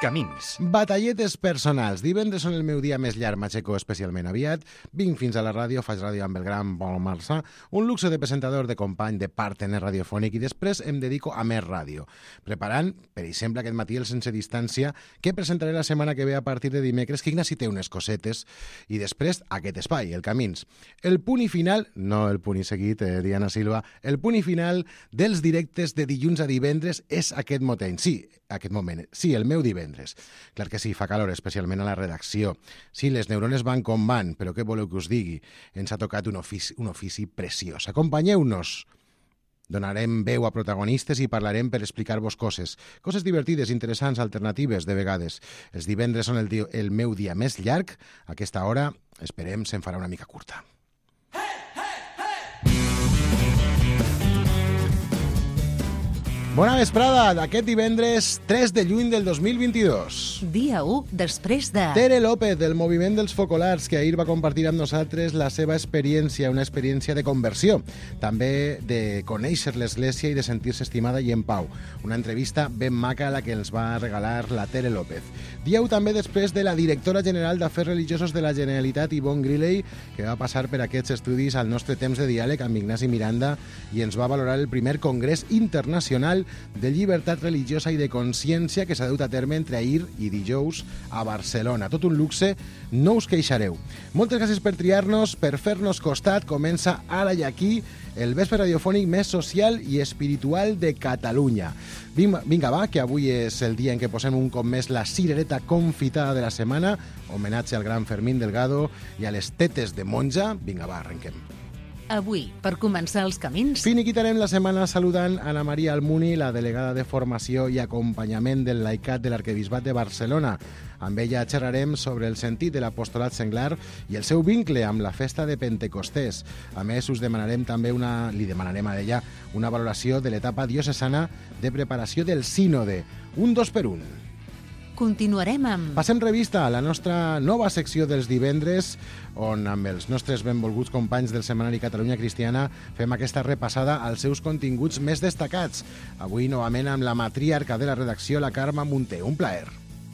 Camins. Batalletes personals. Divendres són el meu dia més llarg, m'aixeco especialment aviat. Vinc fins a la ràdio, faig ràdio amb el gran Pol Marçà, un luxe de presentador, de company, de partner radiofònic, i després em dedico a més ràdio. Preparant, per exemple, aquest matí el Sense Distància, que presentaré la setmana que ve a partir de dimecres, que Ignasi té unes cosetes, i després aquest espai, el Camins. El punt i final, no el punt i seguit, Diana Silva, el punt i final dels directes de dilluns a divendres és aquest moment. Sí, el meu divendres. Clar que sí, fa calor, especialment a la redacció. Sí, les neurones van com van, però què voleu que us digui? Ens ha tocat un ofici preciós. Acompanyeu-nos. Donarem veu a protagonistes i parlarem per explicar-vos coses. Coses divertides, interessants, alternatives, de vegades. Els divendres són el meu dia més llarg. A aquesta hora, esperem, se'n farà una mica curta. Bona vesprada d'aquest divendres 3 de juny del 2022. Dia 1 després de... Tere López, del Moviment dels Focolars, que ahir va compartir amb nosaltres la seva experiència, una experiència de conversió, també de conèixer l'Església i de sentir-se estimada i en pau. Una entrevista ben maca a la que ens va regalar la Tere López. Dia 1 també després de la directora general d'Afers Religiosos de la Generalitat, Yvonne Griley, que va passar per aquests estudis al nostre temps de diàleg amb Ignasi Miranda i ens va valorar el primer Congrés Internacional de Llibertat Religiosa i de Consciència que s'ha dut a terme entre ahir i dijous a Barcelona. Tot un luxe, no us queixareu. Moltes gràcies per triar-nos, per fer-nos costat. Comença ara i aquí el vespre radiofònic més social i espiritual de Catalunya. Vinga, va, que avui és el dia en què posem un cop més la cirereta confitada de la setmana, homenatge al gran Fermín Delgado i a les tetes de monja. Vinga, va, arrenquem. Avui, per començar els camins... Finiquitarem la setmana saludant Ana Maria Almuni, la delegada de Formació i Acompanyament del Laicat de l'Arquebisbat de Barcelona. Amb ella xerrarem sobre el sentit de l'apostolat senglar i el seu vincle amb la festa de Pentecostés. A més, li demanarem a ella una valoració de l'etapa diocesana de preparació del sínode. Un 2 per 1. Continuarem amb... Passem revista a la nostra nova secció dels divendres, on amb els nostres benvolguts companys del setmanari Catalunya Cristiana fem aquesta repassada als seus continguts més destacats. Avui novament amb la matriarca de la redacció, la Carme Munté. Un plaer.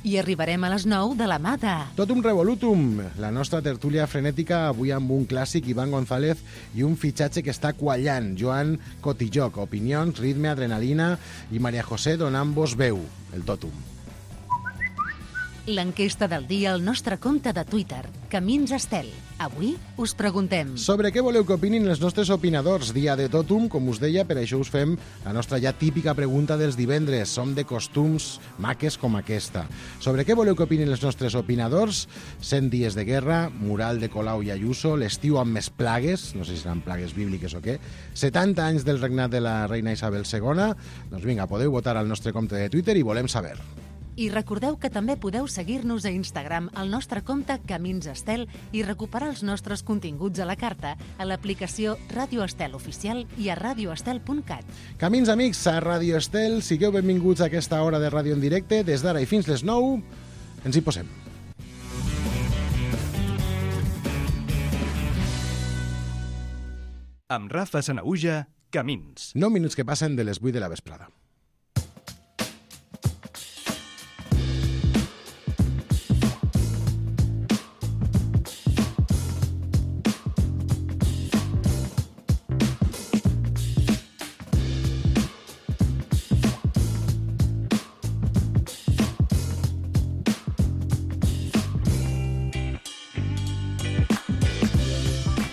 I arribarem a les 9 de la Mata. Tot un revolutum. La nostra tertúlia frenètica avui amb un clàssic, Iván González, i un fitxatge que està quallant, Joan Cotilloc. Opinions, ritme, adrenalina i Maria José donant-vos veu. El totum. L'enquesta del dia al nostre compte de Twitter, Camins Estel. Avui us preguntem... Sobre què voleu que opinin els nostres opinadors? Dia de totum, com us deia, per això us fem la nostra ja típica pregunta dels divendres. Som de costums maques com aquesta. Sobre què voleu que opinin els nostres opinadors? 100 dies de guerra, mural de Colau i Ayuso, l'estiu amb més plagues, no sé si seran plagues bíbliques o què, 70 anys del regnat de la reina Isabel II. Doncs vinga, podeu votar al nostre compte de Twitter i volem saber. I recordeu que també podeu seguir-nos a Instagram al nostre compte Camins Estel i recuperar els nostres continguts a la carta a l'aplicació Ràdio Estel Oficial i a radioestel.cat. Camins, amics, a Ràdio Estel, sigueu benvinguts a aquesta hora de ràdio en directe. Des d'ara i fins les 9, ens hi posem. Amb Rafa Sanaüja, Camins. 9 minuts que passen de les 8 de la vesprada.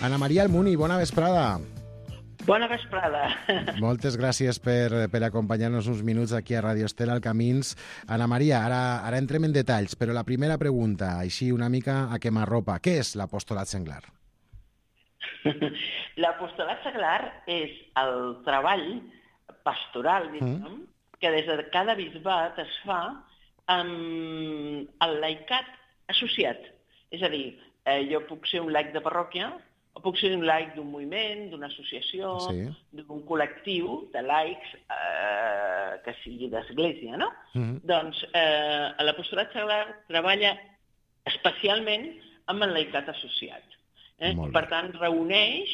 Ana Maria Almuni, bona vesprada. Bona vesprada. Moltes gràcies per acompanyar-nos uns minuts aquí a Ràdio Estel al Camins. Ana Maria, ara entrem en detalls, però la primera pregunta, així una mica a quemarropa. Què és l'apostolat senglar? L'apostolat senglar és el treball pastoral, que des de cada bisbat es fa amb el laicat associat. És a dir, jo puc ser un laic de parròquia, o puc ser un laic d'un moviment, d'una associació, sí, d'un col·lectiu de laics que sigui d'església, no? Doncs l'apostolat senglar treballa especialment amb el laicat associat. Per tant, reuneix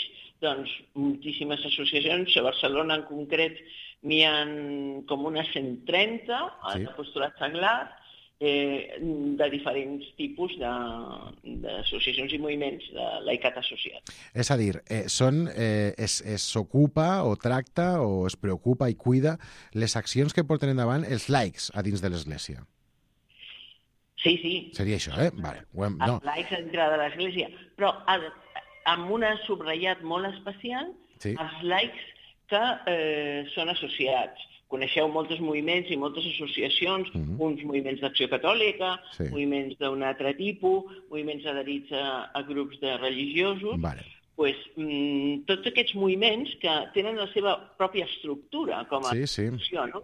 moltíssimes associacions. A Barcelona, en concret, n'hi ha com unes 130 a l'apostolat senglar. de diferents tipus d'associacions i moviments de laicat associat. És a dir, s'ocupa o tracta o es preocupa i cuida les accions que porten endavant els laics a dins de l'Església. Sí. Seria això, Vale. Els laics dintre de l'Església. Però amb un subratllat molt especial, els laics que són associats. Coneixeu molts moviments i moltes associacions, uns moviments d'acció catòlica, moviments d'un altre tipus, moviments adherits a grups de religiosos. Tots aquests moviments que tenen la seva pròpia estructura com a associació, no?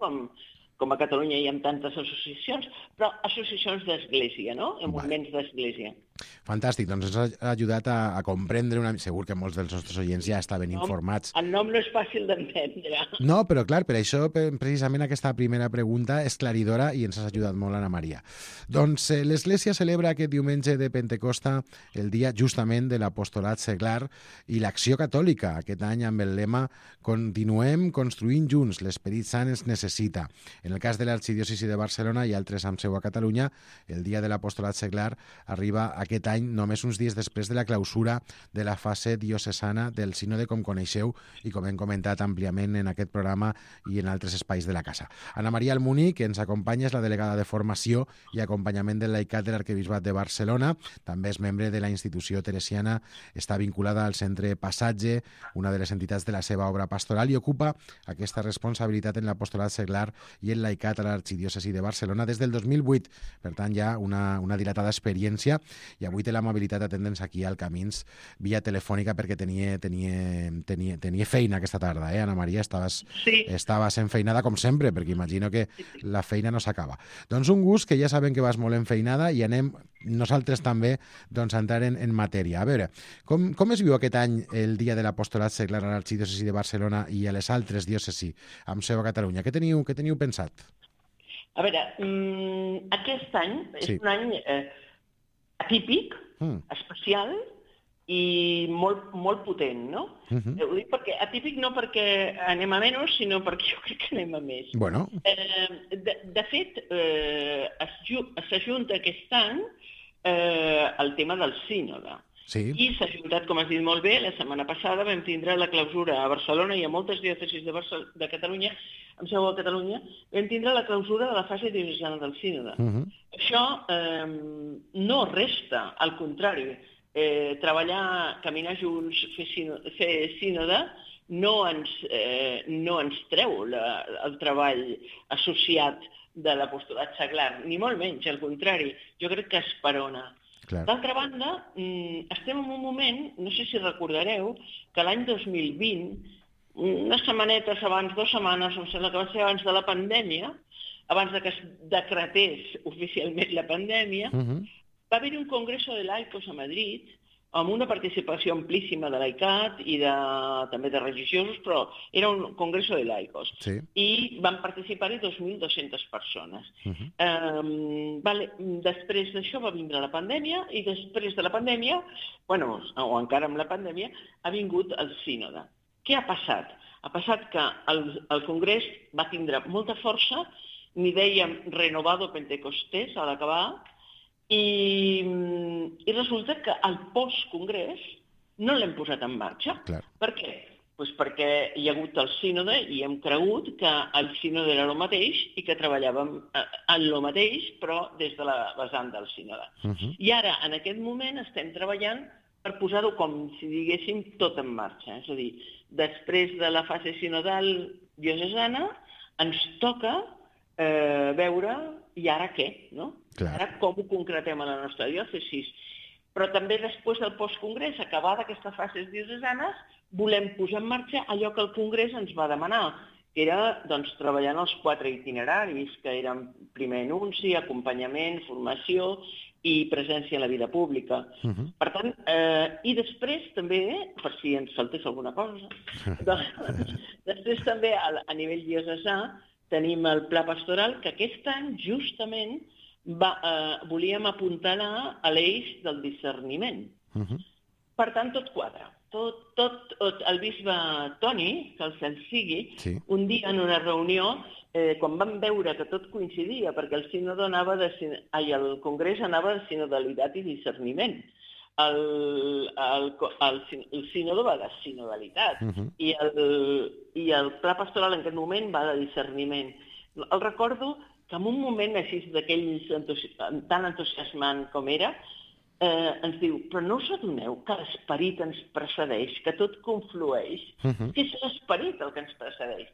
Com a Catalunya hi ha tantes associacions, però associacions d'església, no? Moviments d'església. Fantàstic, doncs ens ha ajudat a comprendre segur que molts dels nostres oients ja estaven informats. El nom no és fàcil d'entendre. No, però clar, per això precisament aquesta primera pregunta és claridora i ens has ajudat molt, Anna Maria. Doncs l'Església celebra aquest diumenge de Pentecosta el dia justament de l'apostolat seglar i l'acció catòlica, aquest any amb el lema Continuem construint junts, l'Esperit Sant ens necessita. En el cas de l'Arxidiòcesi de Barcelona i altres amb seu a Catalunya, el dia de l'apostolat seglar arriba aquest any només uns dies després de la clausura de la fase diocesana del sínode, com coneixeu i com hem comentat àmpliament en aquest programa i en altres espais de la casa. Anna Maria Almuní, que ens acompanya, és la delegada de Formació i Acompanyament del Laicat de l'Arquebisbat de Barcelona, també és membre de la institució teresiana, està vinculada al Centre Passatge, una de les entitats de la seva obra pastoral, i ocupa aquesta responsabilitat en l'apostolat seglar i el laicat a l'Arxidiòcesi de Barcelona des del 2008. Per tant, ja una dilatada experiència, i avui té l'amabilitat d'atendre'ns aquí al Camins via telefònica perquè tenia feina aquesta tarda, Anna Maria? Estaves enfeinada com sempre, perquè imagino que la feina no s'acaba. Doncs un gust, que ja sabem que vas molt enfeinada, i anem nosaltres també a entrar en matèria. A veure, com es viu aquest any el dia de l'apostolat seglar a l'Arxidiòcesi de Barcelona i a les altres diòcesis amb seu a Catalunya? Què teniu pensat? A veure, aquest any és un any atípic, especial i molt potent, no? Ho dic perquè atípic no perquè anem a menys, sinó perquè jo crec que anem a més. Bueno. De fet, s'ajunta aquest any el tema del sínode. I s'ha ajuntat, com has dit molt bé, la setmana passada vam tindre la clausura a Barcelona i a moltes diòcesis de Catalunya, amb seu a Catalunya, vam tindre la clausura de la fase diocesana del sínode. Això no resta, al contrari, treballar, caminar junts, fer sínode, no ens treu el treball associat de l'apostolat seglar, ni molt menys, al contrari, jo crec que esperona. D'altra banda, estem en un moment, no sé si recordareu, que l'any 2020, unes setmanetes abans, 2 setmanes, em sembla que va ser abans de la pandèmia, abans que es decretés oficialment la pandèmia, va haver-hi un congreso de laicos a Madrid, amb una participació amplíssima de laicat i també de religiosos, però era un congreso de laicos. I van participar-hi 2.200 persones. Després d'això va vindre la pandèmia, i després de la pandèmia, o encara amb la pandèmia, ha vingut el sínode. Què ha passat? Ha passat que el congrés va tindre molta força, n'hi dèiem renovado Pentecostés a l'acabar, i resulta que el postcongrés no l'hem posat en marxa. Per què? Perquè hi ha hagut el sínode i hem cregut que el sínode era el mateix i que treballàvem en el mateix, però des de la vessant del sínode. I ara, en aquest moment, estem treballant per posar-ho, com si diguéssim, tot en marxa. És a dir, després de la fase sinodal diocesana, ens toca veure i ara què, no? Ara com ho concretem a la nostra diòcesi. Però també després del postcongrés, acabada aquesta fase diocesanes, volem posar en marxa allò que el congrés ens va demanar, que era treballar en els 4 itineraris, que eren primer anunci, acompanyament, formació i presència en la vida pública. Per tant, i després també, per si ens faltés alguna cosa, després també a nivell diocesà tenim el pla pastoral, que aquest any justament volíem apuntalar a l'eix del discerniment. Per tant, tot quadra. El bisbe Toni, que el cel sigui, un dia en una reunió quan vam veure que tot coincidia, perquè el Congrés anava de sinodalitat i discerniment, el sínodo va de sinodalitat i el pla pastoral en aquest moment va de discerniment. El recordo que en un moment així d'aquells tan entusiasmant com era, ens diu, però no us adoneu que l'esperit ens precedeix, que tot conflueix, que és l'esperit el que ens precedeix.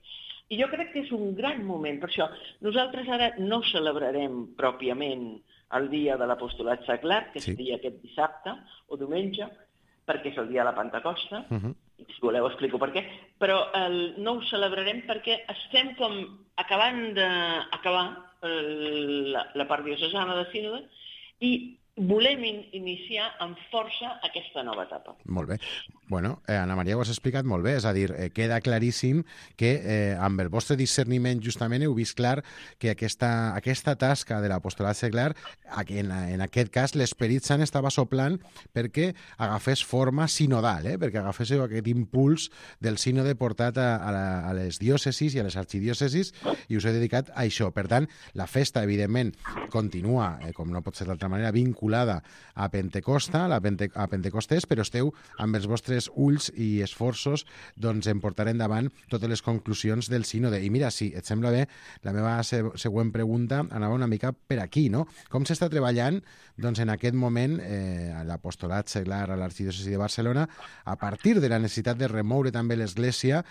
I jo crec que és un gran moment, per això nosaltres ara no celebrarem pròpiament el dia de l'apostolat seglar, que seria aquest dissabte o diumenge, perquè és el dia de la Pentecosta, i si voleu explico per què, però no ho celebrarem perquè estem com acabant d'acabar la part diocesana de sínode i volem iniciar amb força aquesta nova etapa. Molt bé. Bueno, Anna Maria, ho has explicat molt bé, és a dir, queda claríssim que amb el vostre discerniment justament heu vist clar que aquesta tasca de l'apostolat seglar, en aquest cas l'Esperit Sant estava soplant perquè agafés forma sinodal, perquè agaféssiu aquest impuls del sínode portat a les diòcesis i a les arxidiòcesis i us he dedicat a això. Per tant, la festa, evidentment, continua, com no pot ser d'altra manera, vinculada a Pentecosta, a Pentecostés, però esteu amb els vostres ulls i esforços en portar endavant totes les conclusions del sínode. I mira, si et sembla bé, la meva següent pregunta anava una mica per aquí, no? Com s'està treballant en aquest moment a l'apostolat seglar a l'arxidiòcesi de Barcelona a partir de la necessitat de remoure també l'Església,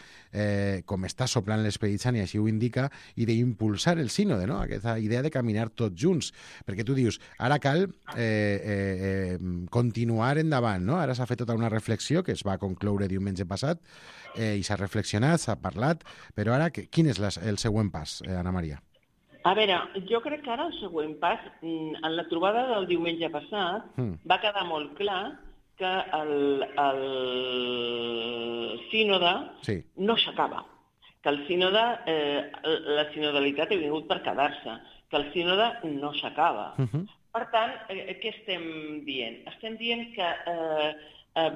com està soplant l'Esperit Sant i així ho indica, i d'impulsar el sínode, no? Aquesta idea de caminar tots junts. Perquè tu dius, ara cal continuar endavant, no? Ara s'ha fet tota una reflexió que es va concloure diumenge passat i s'ha reflexionat, s'ha parlat, però ara quin és el següent pas, Anna Maria? A veure, jo crec que ara el següent pas, en la trobada del diumenge passat, va quedar molt clar que el sínode no s'acaba, que el sínode, la sinodalitat ha vingut per quedar-se, que el sínode no s'acaba. Per tant, què estem dient? Estem dient que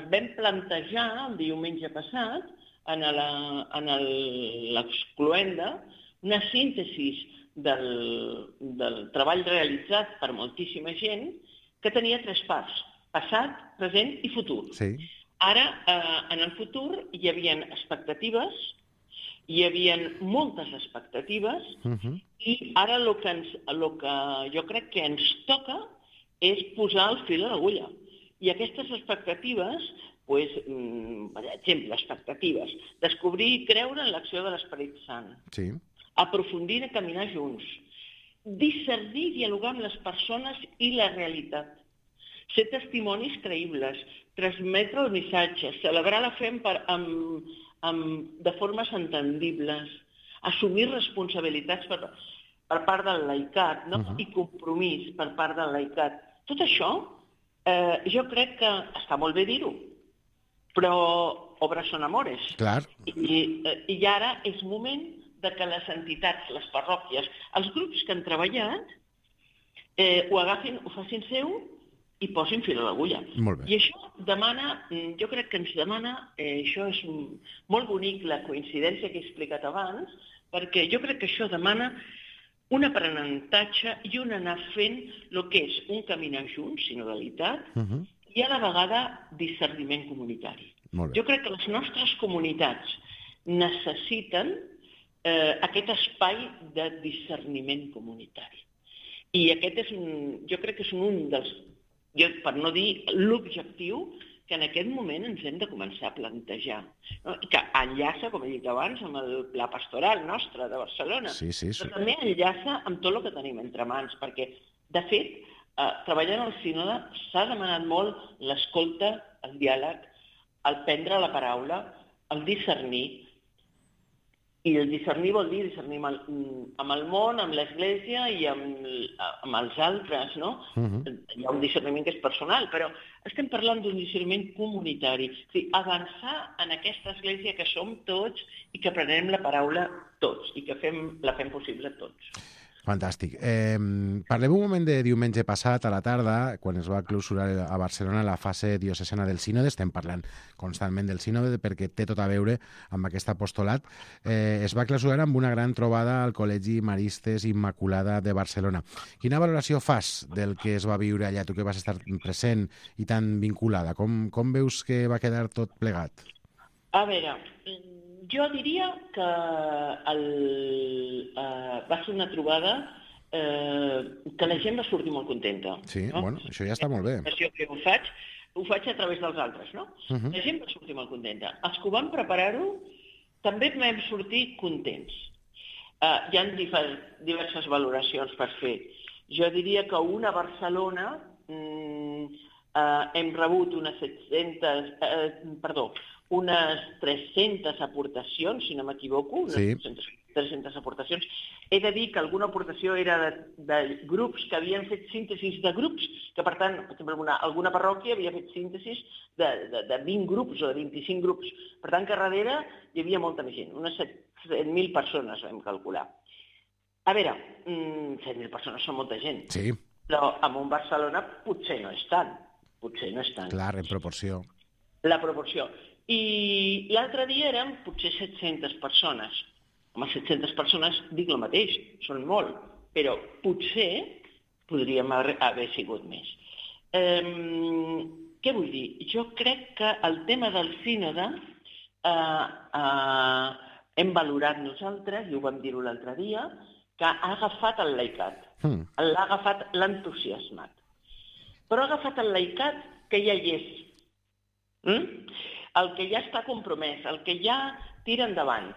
vam plantejar el diumenge passat en l'excloenda una síntesi del treball realitzat per moltíssima gent que tenia 3 parts, passat, present i futur. Ara, en el futur, hi havia expectatives, hi havia moltes expectatives, i ara el que jo crec que ens toca és posar el fil a l'agulla. I aquestes expectatives, per exemple, expectatives, descobrir i creure en l'acció de l'Esperit Sant, aprofundir i caminar junts, discernir i dialogar amb les persones i la realitat, ser testimonis creïbles, transmetre el missatge, celebrar la fe de formes entendibles, assumir responsabilitats per part del laicat, i compromís per part del laicat. Tot això jo crec que està molt bé dir-ho, però obras son amores. I ara és moment de que les entitats, les parròquies, els grups que han treballat, ho agafin, ho facin seu i posin fil a l'agulla. I això demana, jo crec que ens demana, això és molt bonic, la coincidència que he explicat abans, perquè jo crec que això demana un aprenentatge i un anar fent el que és un caminar junts, sinodalitat, i a la vegada discerniment comunitari. Jo crec que les nostres comunitats necessiten aquest espai de discerniment comunitari. I aquest jo crec que és un dels, per no dir l'objectiu, que en aquest moment ens hem de començar a plantejar. I que enllaça, com he dit abans, amb el pla pastoral nostre de Barcelona, però també enllaça amb tot el que tenim entre mans, perquè, de fet, treballant al sínode s'ha demanat molt l'escolta, el diàleg, el prendre la paraula, el discernir. I el discernir vol dir discernir amb el món, amb l'Església i amb els altres, no? Hi ha un discerniment que és personal, però estem parlant d'un discerniment comunitari. O sigui, avançar en aquesta Església que som tots i que prenem la paraula tots i que la fem possible tots. Fantàstic. Parlem un moment de diumenge passat a la tarda, quan es va clausurar a Barcelona la fase diocesana del sínode. Estem parlant constantment del sínode perquè té tot a veure amb aquest apostolat. Es va clausurar amb una gran trobada al Col·legi Maristes Immaculada de Barcelona. Quina valoració fas del que es va viure allà, tu que vas estar present i tan vinculada? Com veus que va quedar tot plegat? A veure, jo diria que va ser una trobada que la gent va sortir molt contenta. Sí, no? Bueno, això ja està molt bé. Que ho faig a través dels altres, no? La gent va sortir molt contenta. Els que ho van preparar-ho també vam sortir contents. Hi ha diverses valoracions per fer. Jo diria que una a Barcelona hem rebut unes 300 aportacions, si no m'equivoco, unes 300 aportacions. He de dir que alguna aportació era de grups que havien fet síntesis de grups, que per tant, per exemple, alguna parròquia havia fet síntesis de 20 grups o de 25 grups. Per tant, que darrere hi havia molta més gent, unes 7.000 persones vam calcular. A veure, 7.000 persones són molta gent, sí. Però en un Barcelona potser no és tant. Clar, en proporció. La proporció. I l'altre dia eren potser 700 persones. Home, 700 persones, dic el mateix, són molt, però potser podríem haver sigut més. Què vull dir? Jo crec que el tema del sínode hem valorat nosaltres, i ho vam dir-ho l'altre dia, que ha agafat el laicat, l'ha agafat l'entusiasmat. Però ha agafat el laicat que ja hi és. El que ja està compromès, el que ja tira endavant.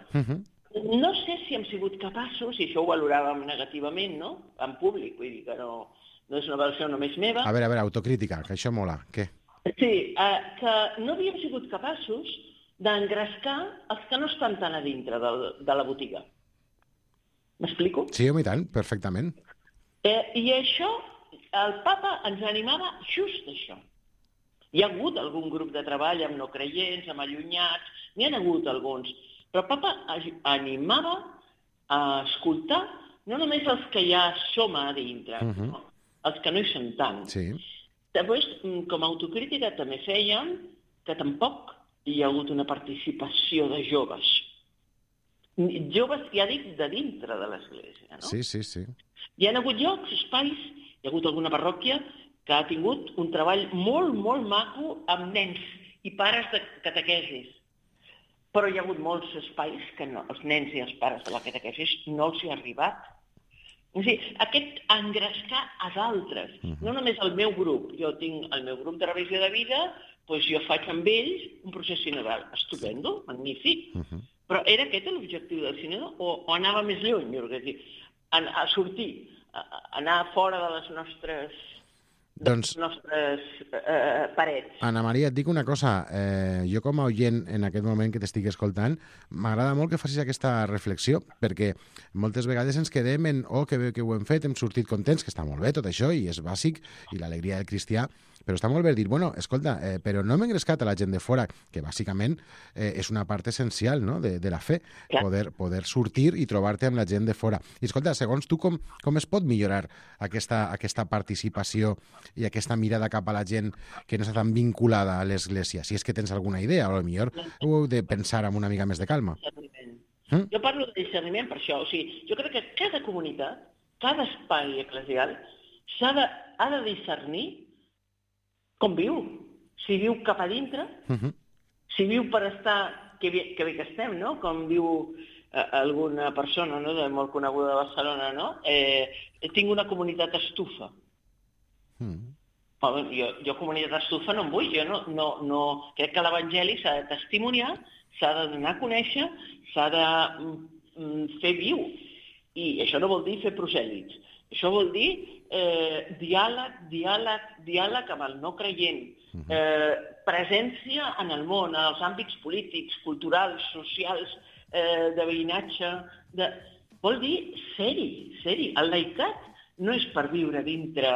No sé si hem sigut capaços, i això ho valoràvem negativament, no?, en públic, vull dir que no és una valoració només meva. A veure, autocrítica, que això mola. Què? Sí, que no havíem sigut capaços d'engrescar els que no estan tan a dintre de la botiga. M'explico? Sí, home, i tant, perfectament. I això, el papa ens animava just això. Hi ha hagut algun grup de treball amb no creients, amb allunyats, n'hi ha hagut alguns, però el papa animava a escoltar no només els que ja som a dintre, no? Els que no hi són tant. Sí. Després, com a autocrítica, també fèiem que tampoc hi ha hagut una participació de joves. Joves, ja dic, de dintre de l'Església, no? Sí. Hi ha hagut llocs, espais, hi ha hagut alguna parròquia que ha tingut un treball molt, molt maco amb nens i pares de catequesis. Però hi ha hagut molts espais que no, els nens i els pares de la catequesis no els hi ha arribat. O sigui, aquest engrescar a d'altres, no només el meu grup. Jo tinc el meu grup de revisió de vida, doncs jo faig amb ells un procés sinodal. Estupendo, magnífic. Però era aquest l'objectiu del sínode o anava més lluny? A sortir, anar fora de les nostres parets. Anna Maria, et dic una cosa. Jo com a oient en aquest moment que t'estic escoltant, m'agrada molt que facis aquesta reflexió, perquè moltes vegades ens quedem en que bé que ho hem fet, hem sortit contents, que està molt bé tot això, i és bàsic, i l'alegria del cristià, però està molt bé dir, escolta, però no hem engrescat a la gent de fora, que bàsicament és una part essencial, no?, de la fe, poder sortir i trobar-te amb la gent de fora. I escolta, segons tu, com es pot millorar aquesta participació i aquesta mirada cap a la gent que no està tan vinculada a l'Església? Si és que tens alguna idea, o potser ho heu de pensar amb una mica més de calma. Jo parlo de discerniment per això. O sigui, jo crec que cada comunitat, cada espai eclesial, ha de discernir com viu. Si viu cap a dintre, si viu per estar, que bé que estem, no?, com diu alguna persona, no?, molt coneguda de Barcelona, no?, tinc una comunitat estufa. Jo comunitat estufa no en vull, jo no crec que l'Evangeli s'ha de testimoniar, s'ha de donar a conèixer, s'ha de fer viu. I això no vol dir fer prosèlits. Això vol dir diàleg amb el no creient, presència en el món, en els àmbits polítics, culturals, socials, de veïnatge. Vol dir ser-hi. El laicat no és per viure dintre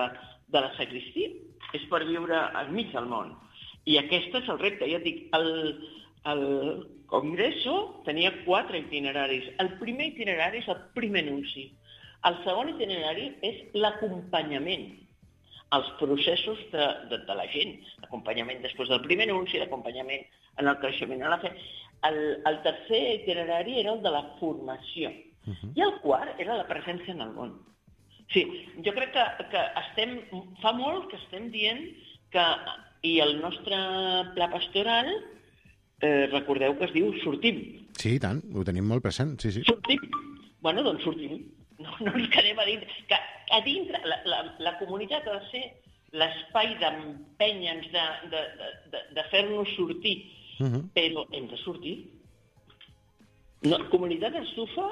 de la sagristia, és per viure enmig del món. I aquest és el repte. Ja et dic, el Congreso tenia 4 itineraris. El primer itinerari és el primer anunci. El segon itinerari és l'acompanyament als processos de la gent. L'acompanyament després del primer anunci, l'acompanyament en el creixement a la fe. El tercer itinerari era el de la formació. I el quart era la presència en el món. Sí, jo crec que fa molt que estem dient que, i el nostre pla pastoral, recordeu que es diu sortim. Sí, i tant, ho tenim molt present, sí. Sortim. Bueno, doncs sortim. No ens quedem a dintre. Que a dintre, la comunitat ha de ser l'espai d'empènyer-nos, de fer-nos sortir. Però hem de sortir. No, comunitat estufa,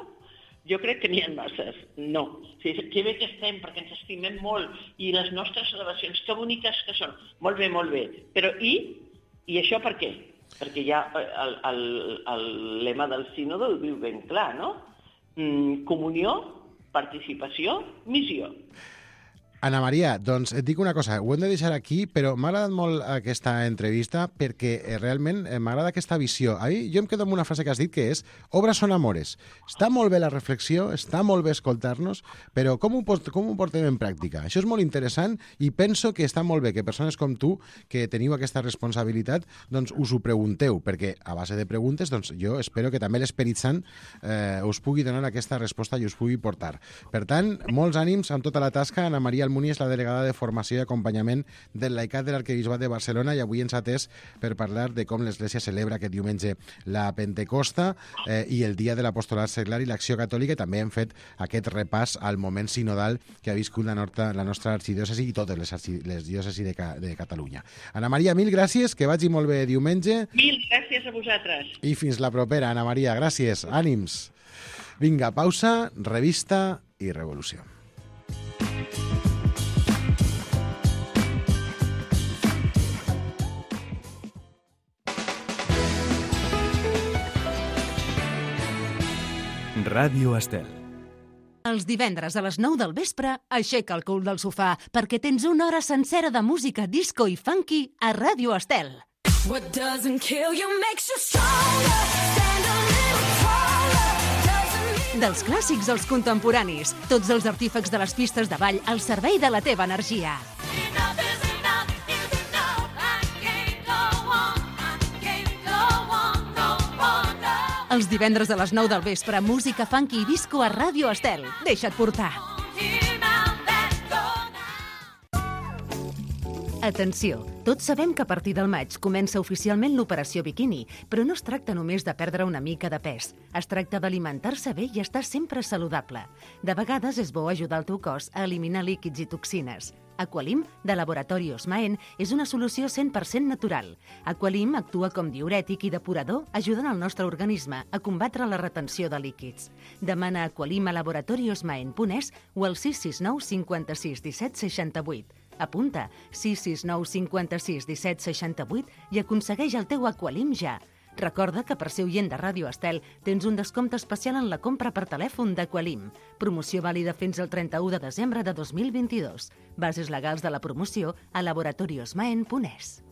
jo crec que n'hi ha masses. No. Que bé que estem, perquè ens estimem molt, i les nostres celebracions, que boniques que són. Molt bé. Però i això per què? Perquè ja el lema del sínode ho diu ben clar, no? Comunió, participació, missió. Ana Maria, doncs et dic una cosa, ho hem de deixar aquí, però m'ha agradat molt aquesta entrevista perquè realment m'agrada aquesta visió. Jo em quedo amb una frase que has dit que és obras son amores. Està molt bé la reflexió, està molt bé escoltar-nos, però com ho portem en pràctica? Això és molt interessant i penso que està molt bé que persones com tu, que teniu aquesta responsabilitat, doncs us ho pregunteu, perquè a base de preguntes doncs jo espero que també l'Esperit Sant us pugui donar aquesta resposta i us pugui portar. Per tant, molts ànims amb tota la tasca. Ana Maria Almuní és la delegada de Formació i Acompanyament del Laicat de l'Arquebisbat de Barcelona i avui ens ha atès per parlar de com l'Església celebra aquest diumenge la Pentecosta i el Dia de l'Apostolat Seglar i l'Acció Catòlica. També hem fet aquest repàs al moment sinodal que ha viscut la nostra arxidiòcesi i totes les diòcesis de Catalunya. Ana Maria, mil gràcies, que vagi molt bé diumenge. Mil gràcies a vosaltres. I fins la propera, Ana Maria, gràcies, ànims. Vinga, pausa, revista i revolució. Ràdio Estel. Els divendres a les 9 del vespre, aixeca el cul del sofà perquè tens una hora sencera de música disco i funky a Ràdio Estel. What doesn't kill you makes you stronger. Stand a little taller. Dels clàssics als contemporanis, tots els artífecs de les pistes de ball al servei de la teva energia. Els divendres a les 9 del vespre, música funky i disco a Ràdio Estel. Deixa't portar. Atenció, tots sabem que a partir del maig comença oficialment l'operació biquini, però no es tracta només de perdre una mica de pes. Es tracta d'alimentar-se bé i estar sempre saludable. De vegades és bo ajudar el teu cos a eliminar líquids i toxines. Aqualim, de Laboratori Osmaen, és una solució 100% natural. Aqualim actua com diürètic i depurador, ajudant el nostre organisme a combatre la retenció de líquids. Demana Aqualim a laboratoriosmaen.es o al 669 56 17 68. Apunta 669 56 17 68 i aconsegueix el teu Aqualim ja. Recorda que per ser oient de Ràdio Estel tens un descompte especial en la compra per telèfon d'Aqualim. Promoció vàlida fins al 31 de desembre de 2022. Bases legals de la promoció a laboratoriosmaen.es.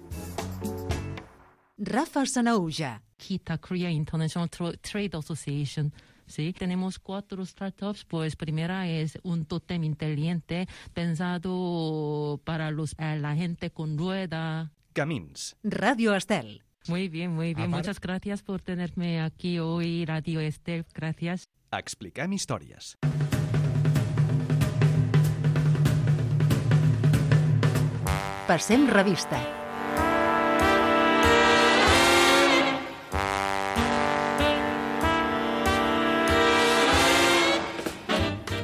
Rafa Sanaúja. KITA, Korea International Trade Association. Sí, tenemos 4 startups, pues primera es un tótem inteligente pensado para la gente con rueda. Camins. Ràdio Estel. Muy bien. Muchas gracias por tenerme aquí hoy, Radio Estel. Gracias. Expliquem històries. Passem revista.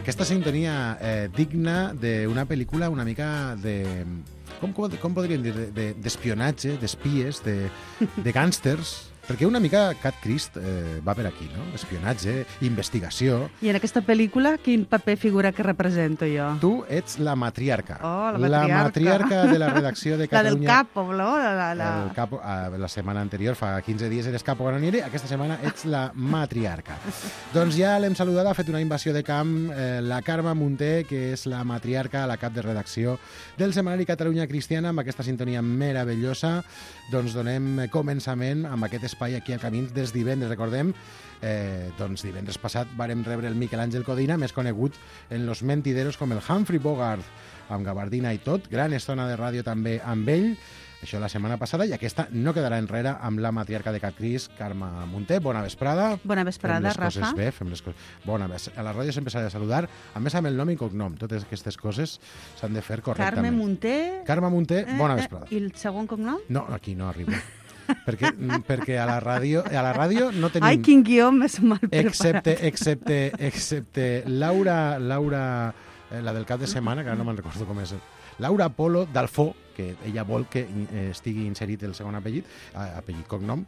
Aquesta sintonia digna d'una pel·lícula una mica de... Com podríem dir? D'espionatge, d'espies, de gàngsters. Perquè una mica Cat Crist va per aquí, no? Espionatge, investigació... I en aquesta pel·lícula quin paper figura que represento jo? Tu ets la matriarca. Oh, la matriarca. La matriarca de la redacció de Catalunya. La del capo, no? El capo, la setmana anterior, fa 15 dies eres capo granoniere, aquesta setmana ets la matriarca. Doncs ja l'hem saludat, ha fet una invasió de camp la Carme Munté, que és la matriarca, la cap de redacció del setmanari Catalunya Cristiana, amb aquesta sintonia meravellosa. Doncs donem començament amb aquest espai aquí al Camins dels divendres. Recordem, doncs divendres passat vàrem rebre el Miquel Àngel Codina, més conegut en Los Mentideros com el Humphrey Bogart, amb gabardina i tot. Gran estona de ràdio també amb ell. Això la setmana passada, i aquesta no quedarà enrere amb la matriarca de Cat Cris, Carme Munté. Bona vesprada. Bona vesprada, Rafa. Fem les coses bé, fem les coses... Bona, a la ràdio sempre s'ha de saludar, a més amb el nom i cognom. Totes aquestes coses s'han de fer correctament. Carme Munté. Carme Munté, bona vesprada. I el segon cognom? No, aquí no arribo. perquè a la ràdio no tenim... Ai, quin guió més mal preparat. Excepte Laura, la del cap de setmana, que ara no me'n recordo com és. Laura Polo Dalfó, que ella vol que estigui inserit el segon apellit cognom,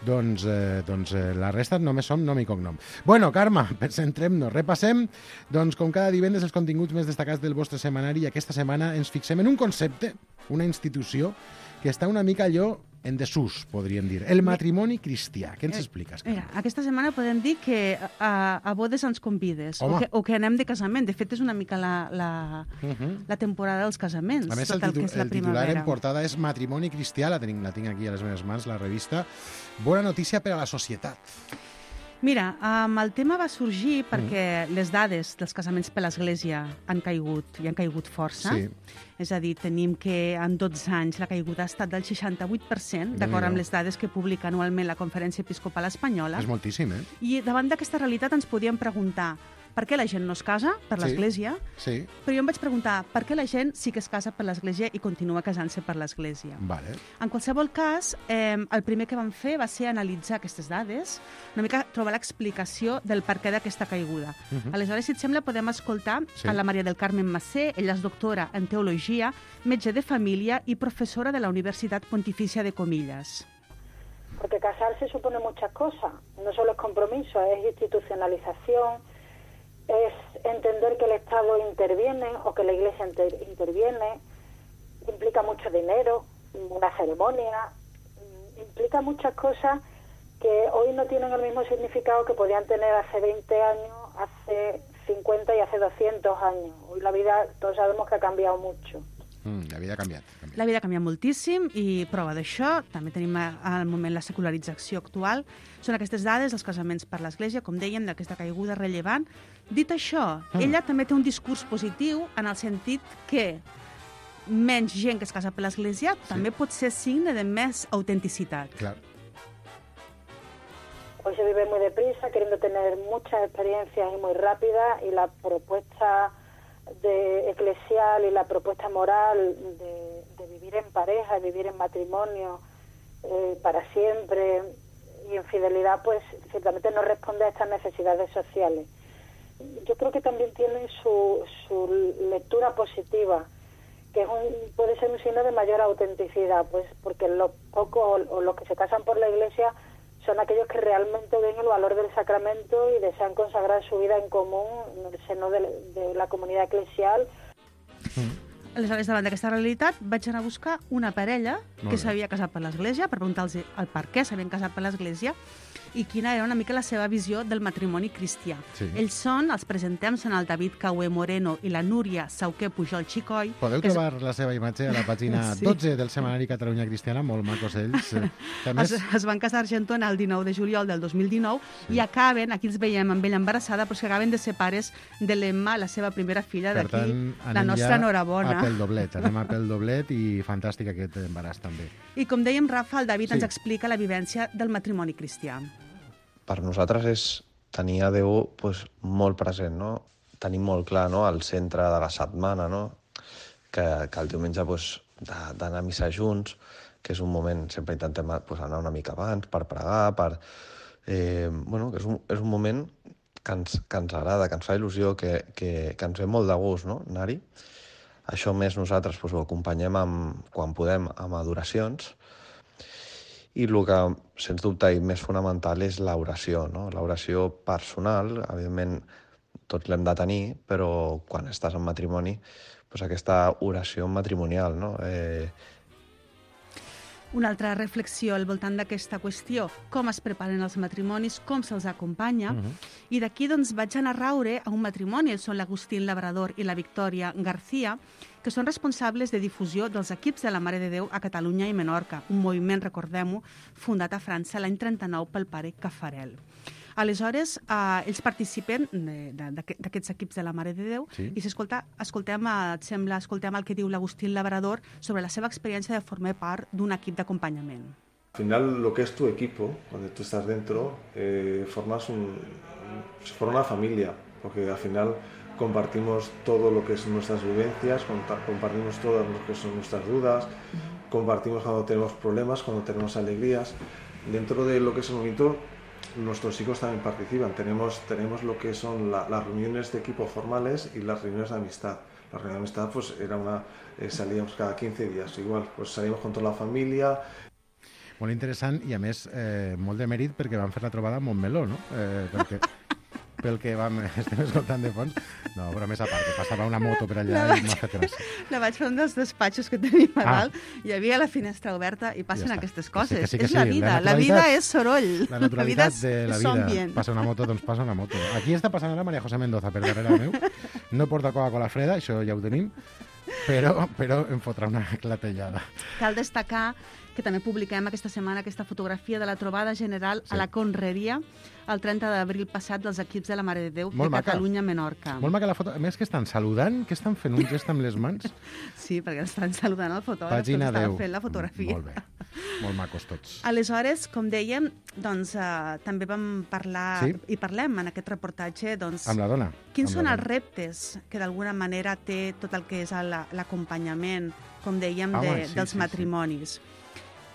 doncs la resta només som nom i cognom. Bueno, Carme, centrem-nos, repassem, doncs com cada divendres els continguts més destacats del vostre setmanari, i aquesta setmana ens fixem en un concepte, una institució, que està una mica allò en desús, podríem dir. El matrimoni cristià. Què ens expliques, Carme? Mira, aquesta setmana podem dir que a bodes ens convides, o que anem de casament. De fet, és una mica la temporada dels casaments. A més, el titular en portada és Matrimoni cristià, la tinc aquí a les meves mans, la revista. Bona notícia per a la societat. Mira, el tema va sorgir perquè les dades dels casaments per l'Església han caigut força. Sí. És a dir, tenim que en 12 anys la caiguda ha estat del 68%, d'acord amb les dades que publica anualment la Conferència Episcopal Espanyola. És moltíssim, eh? I davant d'aquesta realitat ens podíem preguntar per què la gent no es casa per l'Església, sí. Però jo em vaig preguntar per què la gent sí que es casa per l'Església i continua casant-se per l'Església. Vale. En qualsevol cas, el primer que vam fer va ser analitzar aquestes dades, una mica trobar l'explicació del per què d'aquesta caiguda. Aleshores, si et sembla, podem escoltar a la Maria del Carmen Macé. Ella és doctora en Teologia, metge de família i professora de la Universitat Pontificia de Comillas. Porque casarse supone muchas cosas, no solo es compromiso, es institucionalización, es entender que el Estado interviene o que la Iglesia interviene, implica mucho dinero, una ceremonia, implica muchas cosas que hoy no tienen el mismo significado que podían tener hace 20 años, hace 50 y hace 200 años. Hoy la vida, todos sabemos que ha cambiado mucho. La vida ha canviat. La vida ha canviat moltíssim i prova d'això, també tenim al moment la secularització actual, són aquestes dades dels casaments per l'Església, com dèiem, d'aquesta caiguda rellevant. Dit això, ella també té un discurs positiu en el sentit que menys gent que es casa per l'Església també pot ser signe de més autenticitat. Clar. Hoy se vive muy deprisa, queriendo tener muchas experiencias y muy rápidas, y la propuesta eclesial y la propuesta moral de vivir en pareja, de vivir en matrimonio para siempre y en fidelidad, pues ciertamente no responde a estas necesidades sociales. Yo creo que también tiene su lectura positiva, que puede ser un signo de mayor autenticidad, pues porque los pocos o los que se casan por la Iglesia son aquellos que realmente ven el valor del sacramento y desean consagrar su vida en común en el seno de la comunitat eclesial. Aleshores, davant d'aquesta realitat, vaig anar a buscar una parella que s'havia casat per l'Església, per preguntar-los el per què s'havien casat per l'Església i quina era una mica la seva visió del matrimoni cristià. Sí. Ells els presentem, són el David Caué Moreno i la Núria Sauqué Pujol Xicoy. Podeu trobar la seva imatge a la pàgina 12 del setmanari Catalunya Cristiana, molt macos ells. Es van casar a Argentona el 19 de juliol del 2019 i acaben, aquí els veiem amb ella embarassada, però que acaben de ser pares de l'Emma, la seva primera filla, d'aquí, la nostra enhorabona. Anem a pel doblet i fantàstic aquest embaràs també. I com dèiem, Rafa, el David ens explica la vivència del matrimoni cristià. Per nosaltres és tenir a Déu molt present, no? Tenir molt clar, no?, el centre de la setmana, no? Que el diumenge d'anar a missa junts, que és un moment, sempre intentem anar una mica abans per pregar, que és un moment que ens agrada, que ens fa il·lusió, que ens ve molt de gust, no?, anar-hi. Això més nosaltres ho acompanyem quan podem amb adoracions. I el que, sens dubte, i més fonamental és l'oració, no? L'oració personal, evidentment, tots l'hem de tenir, però quan estàs en matrimoni, aquesta oració matrimonial, no? Una altra reflexió al voltant d'aquesta qüestió, com es preparen els matrimonis, com se'ls acompanya, i d'aquí doncs, vaig anar a raure a un matrimoni, són l'Agustín Labrador i la Victòria García, que són responsables de difusió dels equips de la Mare de Déu a Catalunya i Menorca, un moviment, recordem-ho, fundat a França l'any 39 pel pare Caffarel. Aleshores, ells participen d'aquests equips de la Mare de Déu i si escoltem el que diu l'Agustín Labrador sobre la seva experiència de formar part d'un equip d'acompanyament. Al final, lo que es tu equipo, cuando tú estás dentro, se forma una familia, porque al final compartimos todo lo que son nuestras vivencias, compartimos todas lo que son nuestras dudas, compartimos cuando tenemos problemas, cuando tenemos alegrías. Dentro de lo que es el movimiento, nuestros hijos también participan. Tenemos lo que son las reuniones de equipo formales y las reuniones de amistad. La reunión de amistad pues era salíamos cada 15 días, igual, pues salíamos con toda la família. Molt interessant i, a més, molt de mèrit perquè van fer la trobada a Montmeló, no? Pel que estem escoltant de fons. No, però més a part, que passava una moto per allà i m'ha fet gràcia. La vaig fer un dels despatxos que tenim a dalt, hi havia la finestra oberta i passen aquestes coses. Que és la vida, la vida és soroll. La naturalitat de la vida. Passa una moto, doncs passa una moto. Aquí està passant ara Maria José Mendoza per darrere meu. No porta Coca-Cola freda, això ja ho tenim, però em fotrà una clatellada. Cal destacar que també publiquem aquesta setmana aquesta fotografia de la trobada general a la Conreria el 30 d'abril passat dels equips de la Mare de Déu de Catalunya-Menorca. Molt maca la foto. A més, que estan saludant, que estan fent un gest amb les mans. Sí, perquè estan saludant el fotògraf, Pàgina 10. Estan fent la fotografia. Molt bé, molt macos tots. Aleshores, com dèiem, doncs, també vam parlar, i parlem en aquest reportatge, doncs, amb la dona. Quins són els reptes que d'alguna manera té tot el que és l'acompanyament, com dèiem, dels matrimonis.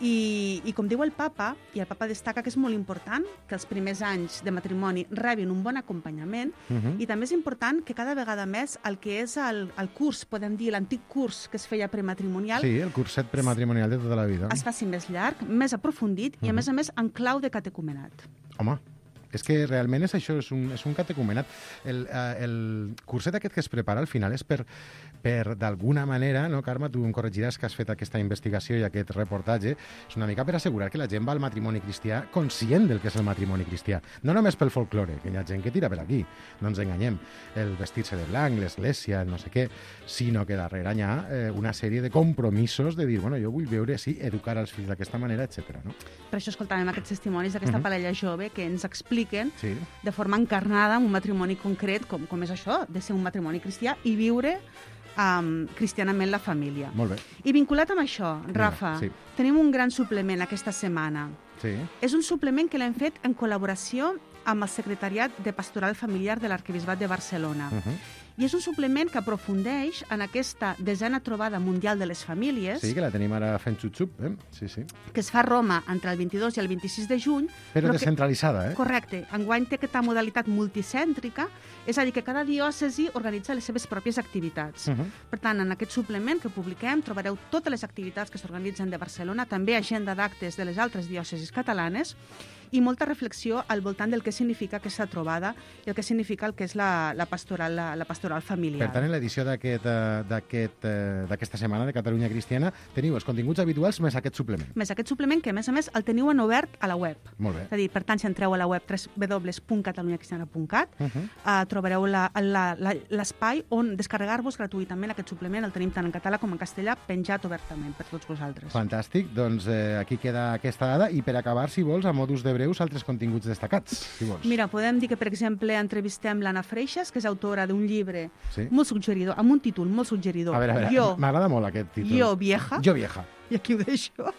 I com diu el papa, i el papa destaca que és molt important que els primers anys de matrimoni rebin un bon acompanyament i també és important que cada vegada més el que és el curs, podem dir, l'antic curs que es feia prematrimonial... Sí, el curset prematrimonial de tota la vida. Es faci més llarg, més aprofundit i, a més, en clau de catecumenat. Home, és que realment és això, és un catecumenat. El curset aquest que es prepara al final és per d'alguna manera, no, Carme, tu em corregiràs que has fet aquesta investigació i aquest reportatge, és una mica per assegurar que la gent va al matrimoni cristià conscient del que és el matrimoni cristià. No només pel folklore, que hi ha gent que tira per aquí, no ens enganyem, el vestir-se de blanc, l'església, no sé què, sinó que darrere hi ha una sèrie de compromisos de dir, bueno, jo vull veure, sí, educar els fills d'aquesta manera, etc. No? Per això escoltàvem aquests testimonis d'aquesta parella jove que ens expliquen de forma encarnada un matrimoni concret, com és això, de ser un matrimoni cristià i viure cristianament la família. Molt bé. I vinculat amb això, Rafa, tenim un gran suplement aquesta setmana. Sí. És un suplement que l'hem fet en col·laboració amb el Secretariat de Pastoral Familiar de l'Arquebisbat de Barcelona. I és un suplement que aprofundeix en aquesta 10a trobada mundial de les famílies. Sí, que la tenim ara fent xup-xup, Sí. Que es fa a Roma entre el 22 i el 26 de juny. Però descentralitzada, Correcte. Enguany té aquesta modalitat multicèntrica, és a dir, que cada diòcesi organitza les seves pròpies activitats. Per tant, en aquest suplement que publiquem trobareu totes les activitats que s'organitzen de Barcelona, també agenda d'actes de les altres diòcesis catalanes, i molta reflexió al voltant del que significa aquesta trobada i el que significa el que és la pastoral familiar. Per tant, en l'edició d'aquesta setmana de Catalunya Cristiana teniu els continguts habituals més aquest suplement. Més aquest suplement que, a més, el teniu en obert a la web. Molt bé. És a dir, per tant, si entreu a la web www.catalunyacristiana.cat trobareu l'espai on descarregar-vos gratuïtament aquest suplement. El tenim tant en català com en castellà, penjat obertament per tots vosaltres. Fantàstic. Doncs aquí queda aquesta dada. I per acabar, si vols, a modus de breus, altres continguts destacats, si vols. Mira, podem dir que, per exemple, entrevistem l'Anna Freixas, que és autora d'un llibre molt suggeridor, amb un títol molt suggeridor. A veure, m'agrada molt aquest títol. Jo vieja. Jo vieja. I aquí ho deixo.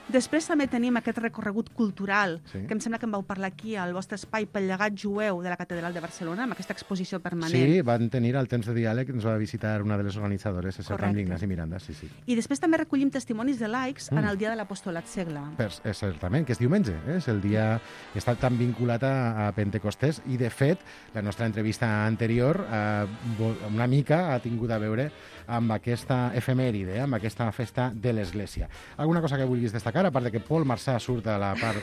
Després també tenim aquest recorregut cultural, que em sembla que em vau parlar aquí al vostre espai pel llegat jueu de la Catedral de Barcelona, amb aquesta exposició permanent. Sí, van tenir al temps de diàleg, ens va visitar una de les organitzadores, és el Rami Ignasi Miranda, sí. I després també recollim testimonis de laics en el dia de l'Apostolat Segle. Certament, que és diumenge, és el dia que està tan vinculat a Pentecostés, i de fet, la nostra entrevista anterior una mica ha tingut a veure amb aquesta efemèride, amb aquesta festa de l'Església. Alguna cosa que vulguis destacar? destacar, a part de que Paul Marçà surt a la part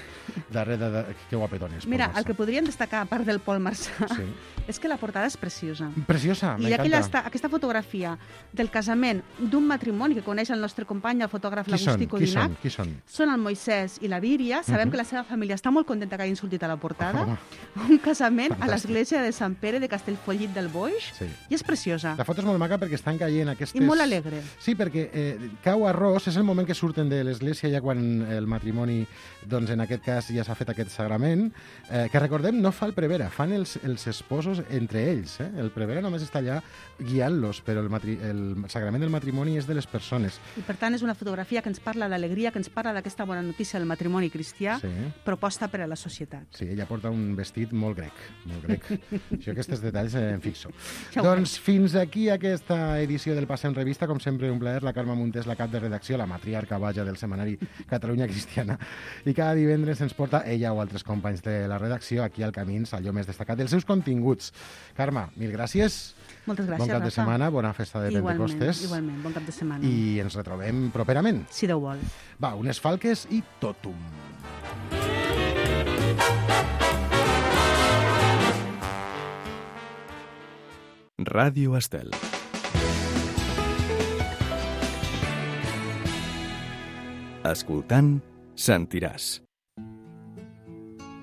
darrere que guapetones. Mira, el que podríem destacar, a part del Paul Marçà, Sí. és que la portada és preciosa. Preciosa, I m'encanta. aquesta fotografia del casament d'un matrimoni que coneix el nostre company, el fotògraf L'Agustí Codinac, Qui són? són el Moisès i la Víria. Sabem que la seva família està molt contenta que hagin sortit a la portada. Home. Un casament a Fantàstic. l'església de Sant Pere de Castellfollit del Boix. Sí. I és preciosa. La foto és molt maca perquè estan caient aquestes... I molt alegre. Sí, perquè cau arròs, és el moment que surten de l'església ja quan el matrimoni, doncs en aquest cas ja s'ha fet aquest sagrament, que recordem no fa el prevera, fan els esposos entre ells. El prevera només està allà guiant-los, però el sagrament del matrimoni és de les persones. I per tant és una fotografia que ens parla d'alegria, que ens parla d'aquesta bona notícia del matrimoni cristià, Sí. proposta per a la societat. Sí, ella porta un vestit molt grec, molt grec. Jo aquests detalls em fixo. Ja ho Doncs fins aquí aquesta edició del Passe en Revista. Com sempre, un plaer. La Carme Montés, la cap de redacció, la matriarca vaja del setmanari Catalunya Cristiana. I cada divendres ens porta ella o altres companys de la redacció aquí al Camins, allò més destacat dels seus continguts. Carme, mil gràcies. Moltes gràcies, Bon cap de Rafa. setmana, bona festa de Pentecostes. Igualment, bon cap de setmana. I ens retrobem properament. Si Déu vol. Va, unes falques i totum. Ràdio Estel. Escoltant, sentiràs.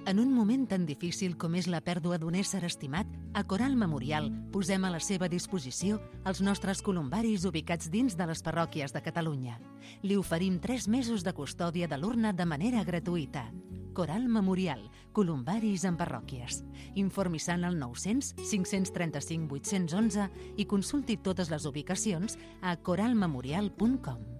En un moment tan difícil com és la pèrdua d'un ésser estimat, a Coral Memorial posem a la seva disposició els nostres columbaris ubicats dins de les parròquies de Catalunya. Li oferim 3 mesos de custòdia de l'urna de manera gratuïta. Coral Memorial, columbaris en parròquies. Informi-se'n al 900 535 811 i consulti totes les ubicacions a coralmemorial.com.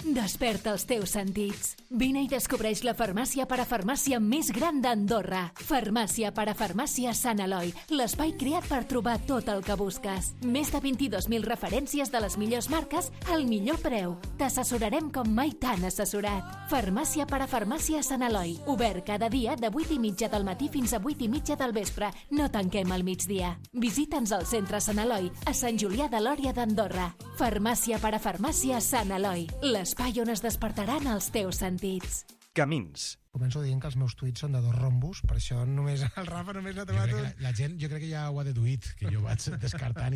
Desperta els teus sentits. Vine i descobreix la farmàcia parafarmàcia més gran d'Andorra. Farmàcia parafarmàcia Sant Eloi, l'espai creat per trobar tot el que busques. Més de 22.000 referències de les millors marques al millor preu. T'assessorarem com mai t'han assessorat. Farmàcia parafarmàcia Sant Eloi, obert cada dia de 8:30 del matí fins a 8:30 del vespre. No tanquem al migdia. Visita'ns al centre Sant Eloi, a Sant Julià de Lòria d'Andorra. Farmàcia parafarmàcia Sant Eloi, l'espai on es despertaran els teus sentits. Camins. Començo dient que els meus tuits són de 2 rombos, per això només el Rafa només l'ha trobat un. La gent, jo crec que ja ho ha deduït, que jo vaig descartant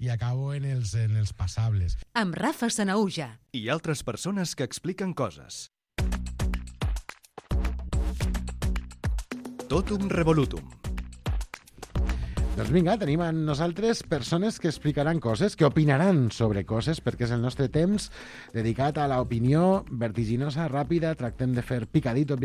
i acabo en els passables. Amb Rafa Sanaúja. I altres persones que expliquen coses. Totum revolutum. Doncs vinga, tenim amb nosaltres persones que explicaran coses, que opinaran sobre coses, perquè és el nostre temps dedicat a l'opinió vertiginosa, ràpida. Tractem de fer picadito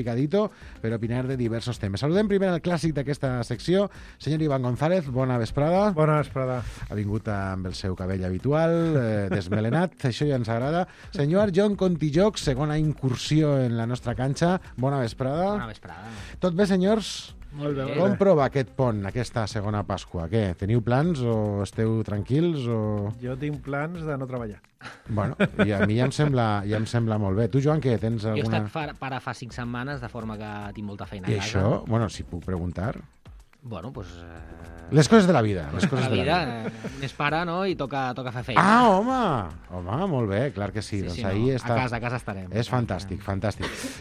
per opinar de diversos temes. Saludem primer el clàssic d'aquesta secció, senyor Iván González, bona vesprada. Bona vesprada. Ha vingut amb el seu cabell habitual, desmelenat, això ja ens agrada. Senyor John Contijoc, segona incursió en la nostra canxa, bona vesprada. Bona vesprada. Tot bé, senyors? Molt bé. Com prova aquest pont, aquesta segona Pasqua? Què, teniu plans o esteu tranquils? O... Jo tinc plans de no treballar. Bueno, i a mi ja em sembla molt bé. Tu, Joan, què? Tens Jo he alguna... estat pare fa 5 setmanes, de forma que tinc molta feina I a casa. això, bueno, si puc preguntar... Bueno, pues... Les coses de la vida. Les coses la de vida, la vida. Més pare, no? I toca fer feina. Ah, home, molt bé, clar que sí. Sí, doncs sí, ahí no, està... a casa estarem. És fantàstic.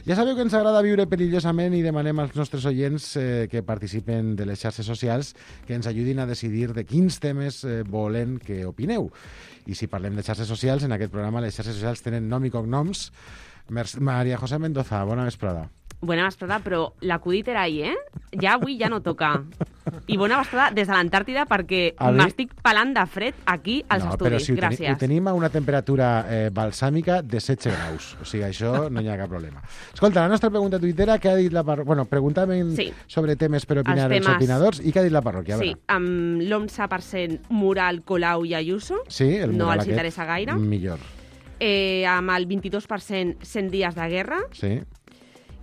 Ja sabeu que ens agrada viure perillosament i demanem als nostres oients que participen de les xarxes socials que ens ajudin a decidir de quins temes volen que opineu. I si parlem de xarxes socials, en aquest programa les xarxes socials tenen nom i cognoms. María José Mendoza, bona vesprada. Bona vesprada, però l'acudit era ahir, Ja avui ja no toca. I bona vesprada des de l'Antàrtida perquè m'estic pelant de fred aquí als estudis. Però gràcies. ho tenim a una temperatura balsàmica de 16 graus. O sigui, això no hi ha cap problema. Escolta, la nostra pregunta tuitera, què ha dit la parròquia? Bueno, preguntàvem sobre temes per opinar els opinadors. I què ha dit la parròquia? Sí, amb l'11% Mural, Colau i Ayuso. Sí, el no Mural els interessa gaire. Millor. Amb el 22% 100 dies de guerra. Sí.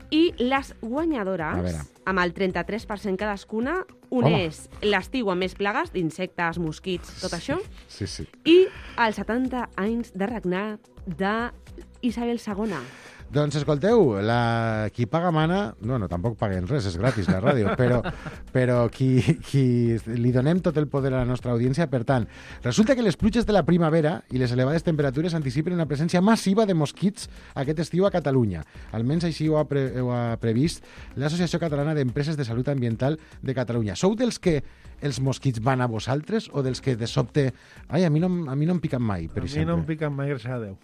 I les guanyadores, amb el 33% cadascuna, és l'estiu amb més plagues d'insectes, mosquits, tot això, sí. I els 70 anys de regnat d'Isabel II. Doncs escolteu, qui paga mana, no, tampoc paguen res, és gratis la ràdio, però qui li donem tot el poder a la nostra audiència. Per tant, resulta que les pluges de la primavera i les elevades temperatures anticipen una presència massiva de mosquits aquest estiu a Catalunya. Almenys així ho ha previst l'Associació Catalana d'Empreses de Salut Ambiental de Catalunya. Sou dels que els mosquits van a vosaltres o dels que de sobte... Ai, a mi no em piquen mai, per exemple. A mi no em piquen mai, gràcies a Déu.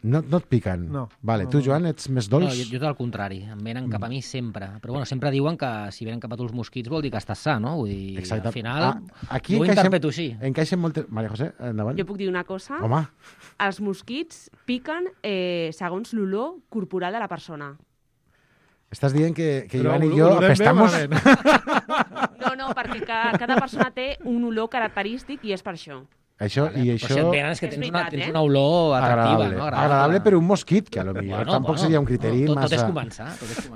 No et piquen? No. Vale, tu, Joan, ets més dolç? No, jo tot el contrari. Em venen cap a mi sempre. Però bueno, sempre diuen que si venen cap a tu els mosquits vol dir que estàs sa, no? Vull dir, exacte. Al final, aquí jo ho interpreto així. Encaixen moltes... Maria José, endavant. Jo puc dir una cosa? Home. Els mosquits piquen segons l'olor corporal de la persona. Estàs dient que Joan i jo apestamos... No, perquè cada persona té un olor característic i és per això. Això, vale, i això... Però si et venen és que tens una olor atractiva, no? Agradable per un mosquit, que potser tampoc seria un criteri massa... Tot és començar.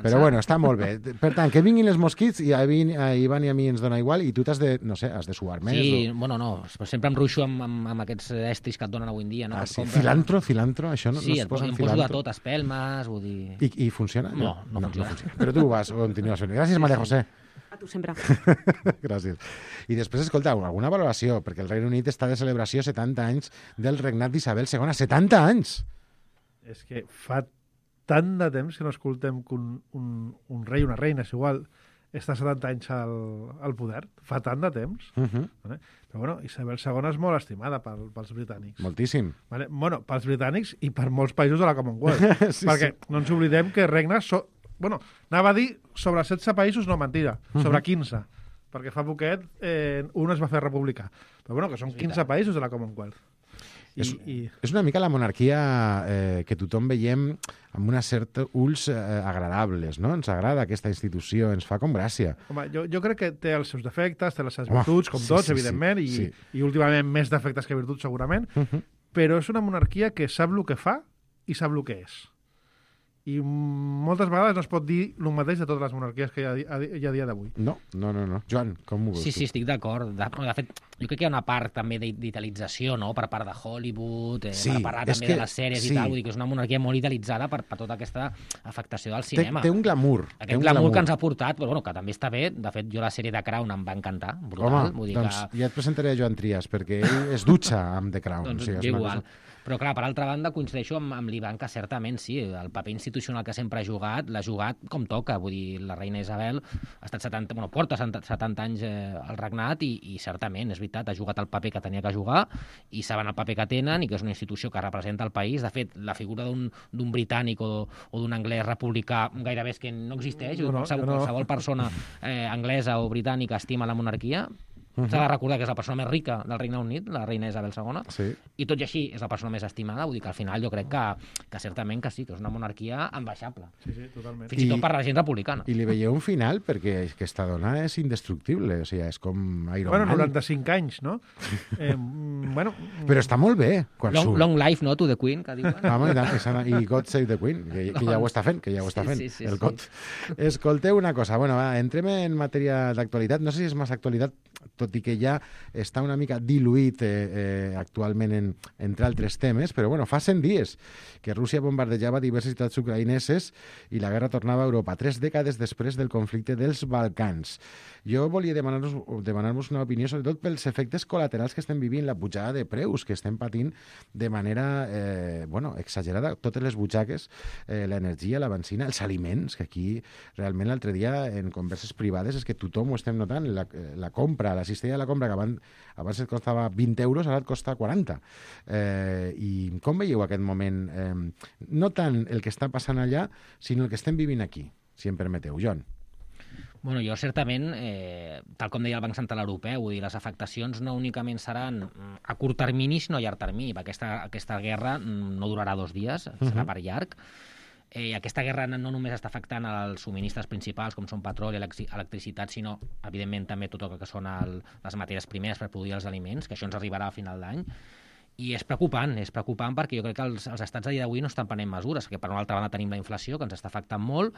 Però bueno, està molt bé. Per tant, que vinguin els mosquits i a Ivan i a mi ens dona igual i tu t'has de, no sé, has de suar més. Sí, bueno, no, sempre em ruixo amb aquests estris que et donen avui en dia. No? Sí. Cilantro, això no es posa en cilantro? Sí, em poso de tot, espelmes, vull dir... I funciona? No funciona. Però tu vas, continues fent. Gràcies, Maria José. A tu sempre. Gràcies. I després, escolta, alguna valoració, perquè el Regne Unit està de celebració 70 anys del regnat d'Isabel II. 70 anys! És que fa tant de temps que no escoltem que un rei, una reina, és igual, està 70 anys al poder. Fa tant de temps. Vale? Però bueno, Isabel II és molt estimada pels britànics. Moltíssim. Vale? Bueno, pels britànics i per molts països de la Commonwealth. Perquè no ens oblidem que regnes... Bueno, anava a dir sobre 16 països, no, mentida, sobre 15, perquè fa poquet un es va fer republicà. Però bueno, que són 15 països de la Commonwealth. És una mica la monarquia que tothom veiem amb una certa ulls agradables, no? Ens agrada aquesta institució, ens fa com gràcia. Home, jo crec que té els seus defectes, té les seves virtuts, com tots, evidentment, i últimament més defectes que virtuts, segurament, però és una monarquia que sap el que fa i sap el que és. I moltes vegades no es pot dir el mateix de totes les monarquies que hi ha a dia d'avui. No. Joan, com ho veus tu? Sí, estic d'acord. De fet, jo crec que hi ha una part també d'italització, no?, per part de Hollywood, per parlar també de les sèries i tal, vull dir que és una monarquia molt italitzada per tota aquesta afectació del cinema. Té un glamour. Aquest glamour que ens ha portat, però bueno, que també està bé. De fet, jo la sèrie de Crown em va encantar, brutal. Home, doncs ja et presentaré a Joan Trias, perquè ell es dutxa amb The Crown. Doncs igual. Però, clar, per altra banda, coincideixo amb l'Ivan que certament sí, el paper institucional que sempre ha jugat, l'ha jugat com toca. Vull dir, la reina Isabel ha estat porta 70 anys al regnat i certament, és veritat, ha jugat el paper que tenia que jugar i saben el paper que tenen i que és una institució que representa el país. De fet, la figura d'un britànic o d'un anglès republicà gairebé és que no existeix. Qualsevol persona anglesa o britànica estima la monarquia. S'ha de recordar que és la persona més rica del Regne Unit, la reina Isabel II, i tot i així és la persona més estimada, vull dir que al final jo crec que certament que sí, que és una monarquia enbaixable. Sí, totalment. Fins i tot per la gent republicana. I li veieu un final perquè aquesta dona és indestructible, o sigui, és com Iron Man. 95 anys, no? Però està molt bé. Long life, no, to the Queen, que diuen. I God Save the Queen, que ja ho està fent, el God. Escolteu una cosa, entrem en matèria d'actualitat, no sé si és massa actualitat, tot i que ja està una mica diluït actualment entre altres temes, però fa 100 dies que Rússia bombardejava diverses ciutats ucraïneses i la guerra tornava a Europa, 3 dècades després del conflicte dels Balcans. Jo volia demanar-vos una opinió, sobretot pels efectes col·laterals que estem vivint, la pujada de preus que estem patint de manera exagerada, totes les butxaques, l'energia, la benzina, els aliments, que aquí realment l'altre dia en converses privades és que tothom ho estem notant, la compra, la cistella de la compra, que abans et costava 20 euros, ara et costa 40. I com veieu aquest moment? No tant el que està passant allà, sinó el que estem vivint aquí, si em permeteu. Joan. Bueno, jo certament, tal com deia el Banc Central Europeu, vull dir, les afectacions no únicament seran a curt termini, sinó a llarg termini, perquè aquesta guerra no durarà 2 dies, serà per llarg. Aquesta guerra no només està afectant els subministres principals, com són petroli, electricitat, sinó, evidentment, també tot el que són les matèries primeres per produir els aliments, que això ens arribarà a final d'any. I és preocupant perquè jo crec que els estats a dia d'avui no estan prenent mesures, que per una altra banda tenim la inflació, que ens està afectant molt.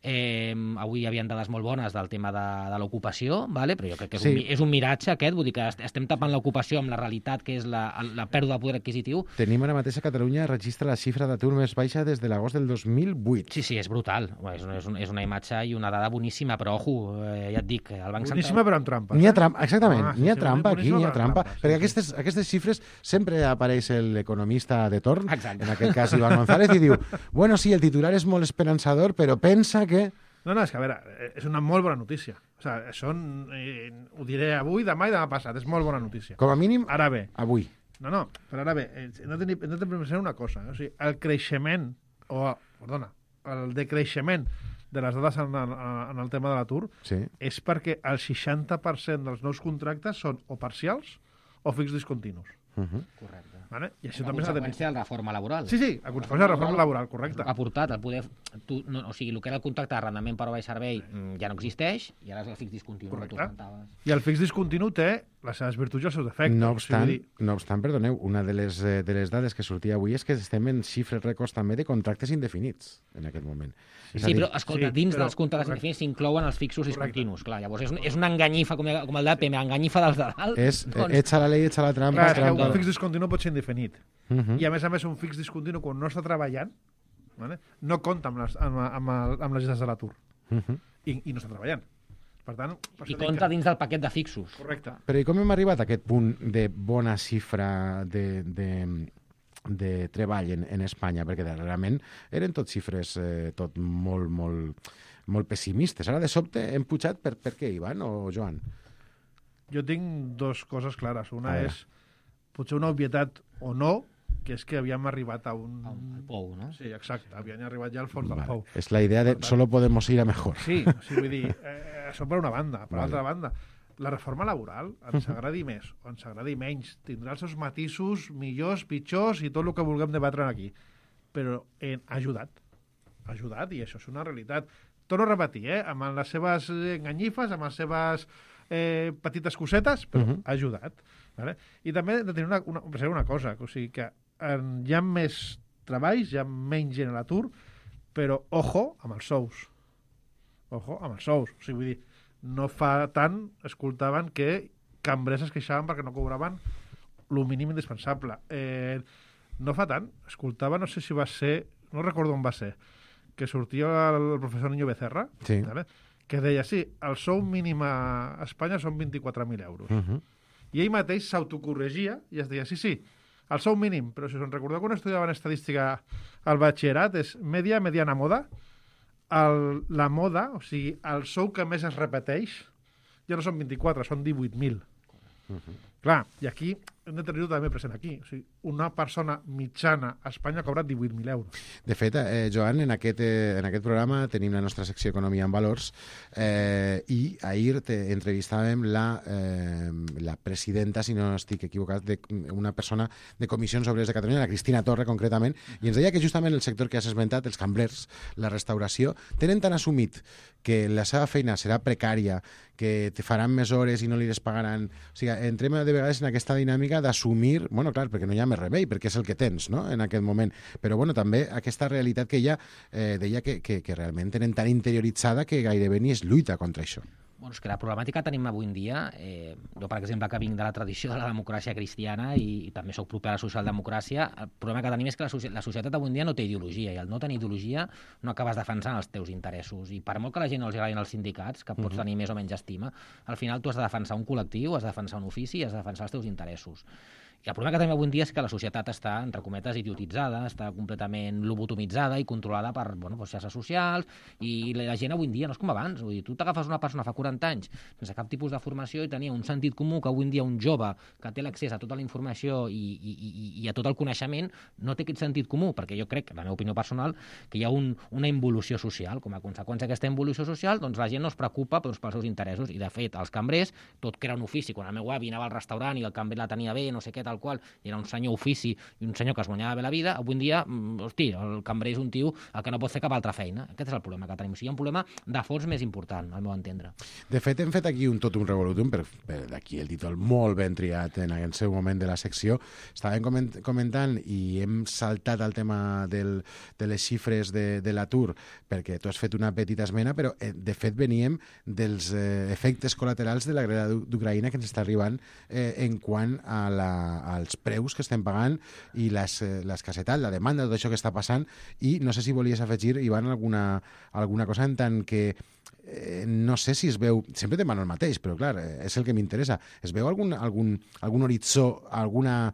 Avui hi havia dades molt bones del tema de l'ocupació, vale? Però jo crec que és un miratge aquest, vull dir que estem tapant l'ocupació amb la realitat, que és la pèrdua de poder adquisitiu. Tenim ara mateix a Catalunya registra la xifra d'atur més baixa des de l'agost del 2008. Sí, és brutal. És una imatge i una dada boníssima, però ojo, ja et dic, el Banc Central... Boníssima però amb trampa. N'hi ha trampa, exactament, n'hi ha trampa aquí, n'hi ha trampa, perquè aquestes xifres sempre apareix l'economista de torn, en aquest cas Iván González, i diu, bueno, sí, el titular és molt esperançador, però pensa que... No, és que, a veure, és una molt bona notícia. O sigui, això ho diré avui, demà i demà passat, és molt bona notícia. Com a mínim, ara bé. Avui. No, però ara bé, hem de pensar una cosa. O sigui, el creixement, el decreixement de les dades en el tema de l'atur és perquè el 60% dels nous contractes són o parcials o fix discontinus. Correcte. Vale? I això a també conseqüència de la reforma laboral. Sí, a conseqüència de la reforma laboral, correcte. Ha portat el poder... o sigui, el que era el contracte d'arrendament per hora i servei ja no existeix, i ara és el fix discontinu que tu comentaves. I el fix discontinu té les seves virtuts i els seus defectes. No obstant, perdoneu, una de les dades que sortia avui és que estem en xifres rècords també de contractes indefinits en aquest moment. Sí, però escolta, dins dels contractes indefinits s'inclouen els fixos discontinus. Clar, llavors és una enganyifa, com el d'APM, enganyifa dels de dalt. Echa la llei, echa la trampa. Un fix discontinu pot ser indefinit. I a més un fix discontinu, quan no està treballant, no compta amb les llistes de l'atur. I no està treballant. Per tant, i compta dins del paquet de fixos. Correcte. Però i com hem arribat a aquest punt de bona xifra de treball en Espanya? Perquè darrerament eren tot xifres tot molt pessimistes. Ara de sobte hem pujat per què, Ivan o Joan? Jo tinc dues coses clares. Una és potser una obvietat o no, que és que havíem arribat a un... Al pou, no? Sí, exacte, havíem arribat ja al fons del pou. És la idea de solo podemos ir a mejor. Sí, vull dir, això per una banda. Per l'altra banda, la reforma laboral, ens agradi més o ens agradi menys, tindrà els seus matisos millors, pitjors i tot el que vulguem debatre aquí. Però ha ajudat i això és una realitat. Torno a repetir, amb les seves enganyifes, amb les seves petites cosetes, però ha ajudat. Vale? I també hem de tenir una cosa, o sigui que hi ha més treballs, hi ha menys gent a l'atur, però ojo amb els sous. Ojo amb els sous. O sigui, vull dir, no fa tant escoltaven que cambrers es queixaven perquè no cobraven el mínim indispensable. No fa tant escoltava, no sé si va ser, no recordo on va ser, que sortia el professor Niño Becerra, ¿vale? Que deia, sí, el sou mínim a Espanya són 24.000 euros. I ell mateix s'autocorregia i es deia, sí, el sou mínim, però si us en recordeu quan estudiaven estadística al batxillerat, és mediana moda. La moda, o sigui, el sou que més es repeteix, ja no són 24, són 18.000. Clar, i aquí hem de tenir-ho també present aquí. O sigui, una persona mitjana a Espanya cobra 18.000 euros. De fet, Joan, en aquest programa tenim la nostra secció Economia en Valors i ahir entrevistàvem la presidenta, si no estic equivocat, d'una persona de Comissions Obreres de Catalunya, la Cristina Torre, concretament, i ens deia que justament el sector que has esmentat, els cambrers, la restauració, tenen tan assumit que la seva feina serà precària, que te faran més hores i no li les pagaran. O sigui, entrem de vegades en aquesta dinàmica d'assumir, bueno, clar, perquè no hi ha més remei, perquè és el que tens, no?, en aquest moment. Però, bueno, també aquesta realitat que ella deia que realment tenen tan interioritzada que gairebé ni es lluita contra això. Bueno, és que la problemàtica que tenim avui en dia, jo, per exemple, que vinc de la tradició de la democràcia cristiana i també soc proper a la socialdemocràcia, el problema que tenim és que la societat avui en dia no té ideologia, i al no tenir ideologia no acabes defensant els teus interessos. I per molt que la gent no els agradin els sindicats, que pots tenir més o menys estima, al final tu has de defensar un col·lectiu, has de defensar un ofici i has de defensar els teus interessos. I el problema que tenim avui en dia és que la societat està, entre cometes, idiotitzada, està completament lobotomitzada i controlada per xarxes socials, i la gent avui en dia no és com abans. Vull dir, tu t'agafes una persona fa 40 anys sense cap tipus de formació i tenia un sentit comú que avui en dia un jove que té l'accés a tota la informació i a tot el coneixement no té aquest sentit comú, perquè jo crec, la meva opinió personal, que hi ha una involució social. Com a conseqüència d'aquesta involució social, doncs la gent no es preocupa pels seus interessos, i de fet els cambrers, tot que era un ofici, quan el meu avi anava al restaurant i el cambrer la tenia bé, no sé què, tal el qual era un senyor ofici i un senyor que es guanyava bé la vida, avui en dia, hosti, el cambrer és un tio el que no pot fer cap altra feina. Aquest és el problema que tenim. O sigui, hi ha un problema de fons més important, al meu entendre. De fet, hem fet aquí un totum revolutum, per d'aquí el títol molt ben triat en el seu moment de la secció. Estàvem comentant i hem saltat al tema de les xifres de l'atur, perquè tu has fet una petita esmena, però de fet veníem dels efectes col·laterals de la guerra d'Ucraïna que ens està arribant en quant als preus que estem pagant i l'escassetat, la demanda, tot això que està passant, i no sé si volies afegir, Ivan, alguna cosa en tant que no sé si es veu, sempre demano el mateix, però clar, és el que m'interessa. Es veu algun horitzó, alguna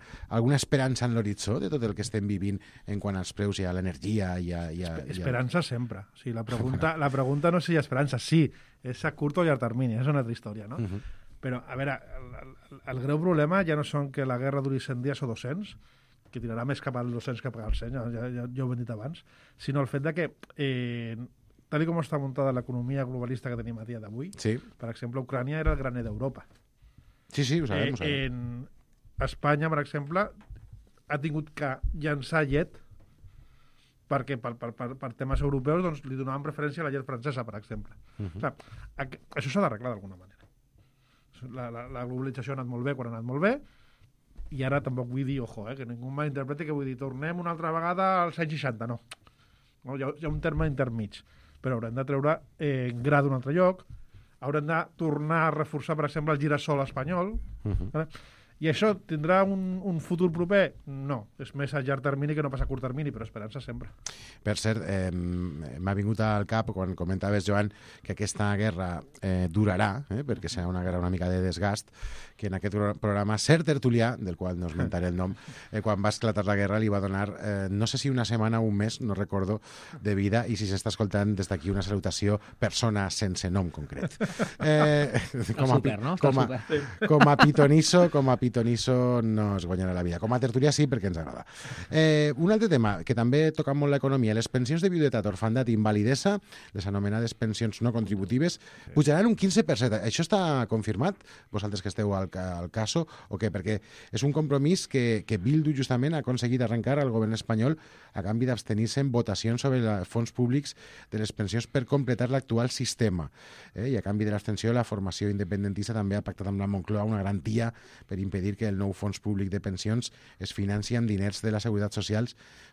esperança en l'horitzó de tot el que estem vivint en quant als preus i a l'energia? Esperança sempre. O sigui, la pregunta no és si hi ha esperança, sí, és a curt o llarg termini, és una altra història, no? Però, a veure, el greu problema ja no són que la guerra duri 100 dies o 200, que tirarà més cap als 200 que al 100, ja ho hem dit abans, sinó el fet de que tal com està muntada l'economia globalista que tenim a dia d'avui, per exemple, Ucrània era el graner d'Europa. Sí, ho sabem. En Espanya, per exemple, ha tingut que llançar llet perquè per temes europeus doncs, li donaven preferència a la llet francesa, per exemple. Clar, això s'ha d'arreglar d'alguna manera. La globalització ha anat molt bé quan ha anat molt bé, i ara tampoc vull dir, que ningú malinterpreti que vull dir tornem una altra vegada als anys 60, no. Hi ha un terme intermig, però haurem de treure gra d'un altre lloc, haurem de tornar a reforçar, per exemple, el girassol espanyol. I això tindrà un futur proper? No, és més a llarg termini que no pas a curt termini, però esperança sempre. Per cert, m'ha vingut al cap, quan comentaves, Joan, que aquesta guerra durarà, perquè serà una guerra una mica de desgast, que en aquest programa cert tertulià, del qual no esmentaré el nom, quan va esclatar la guerra li va donar, no sé si una setmana o un mes, no recordo, de vida, i si s'està escoltant des d'aquí una salutació, persona sense nom concret. Com a pitonisso no es guanyarà la vida. Com a tertulià sí, perquè ens agrada. Un altre tema, que també toca molt l'economia, les pensions de viudetat, orfandat i invalidesa, les anomenades pensions no contributives, pujaran un 15%. Això està confirmat? Vosaltres que esteu al caso o què? Perquè és un compromís que Bildu justament ha aconseguit arrencar al govern espanyol a canvi d'abstenir-se en votacions sobre els fons públics de les pensions per completar l'actual sistema. I a canvi de l'abstenció, la formació independentista també ha pactat amb la Moncloa una garantia per impedir que el nou fons públic de pensions es financi amb diners de la Seguretat Social,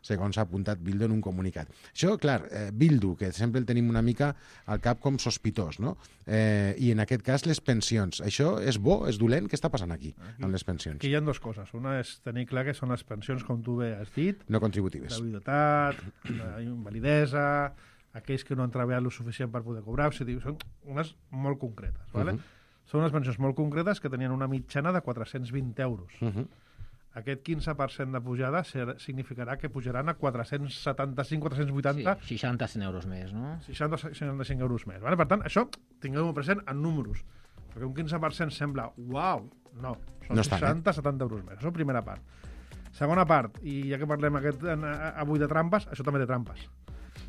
segons ha apuntat Bildu en un comunicat. Això, clar, Bildu, que sempre el tenim una mica al cap com sospitós, no? I en aquest cas les pensions. Això és bo, és dolent? Què està passant aquí amb les pensions? Aquí hi ha dues coses. Una és tenir clar que són les pensions, com tu bé has dit, no contributives. La viudetat, la invalidesa, aquells que no han treballat el suficient per poder cobrar, o sigui, són unes molt concretes, ¿vale? Són unes pensions molt concretes que tenien una mitjana de 420 euros. Aquest 15% de pujada significarà que pujaran a 475, 480... Sí, 60-100 euros més, no? 60-65 euros més. Vale? Per tant, això tingueu-ho present en números. Perquè un 15% sembla, uau, no, són 60-70 euros més. Això és la primera part. Segona part, i ja que parlem avui de trampes, això també té trampes.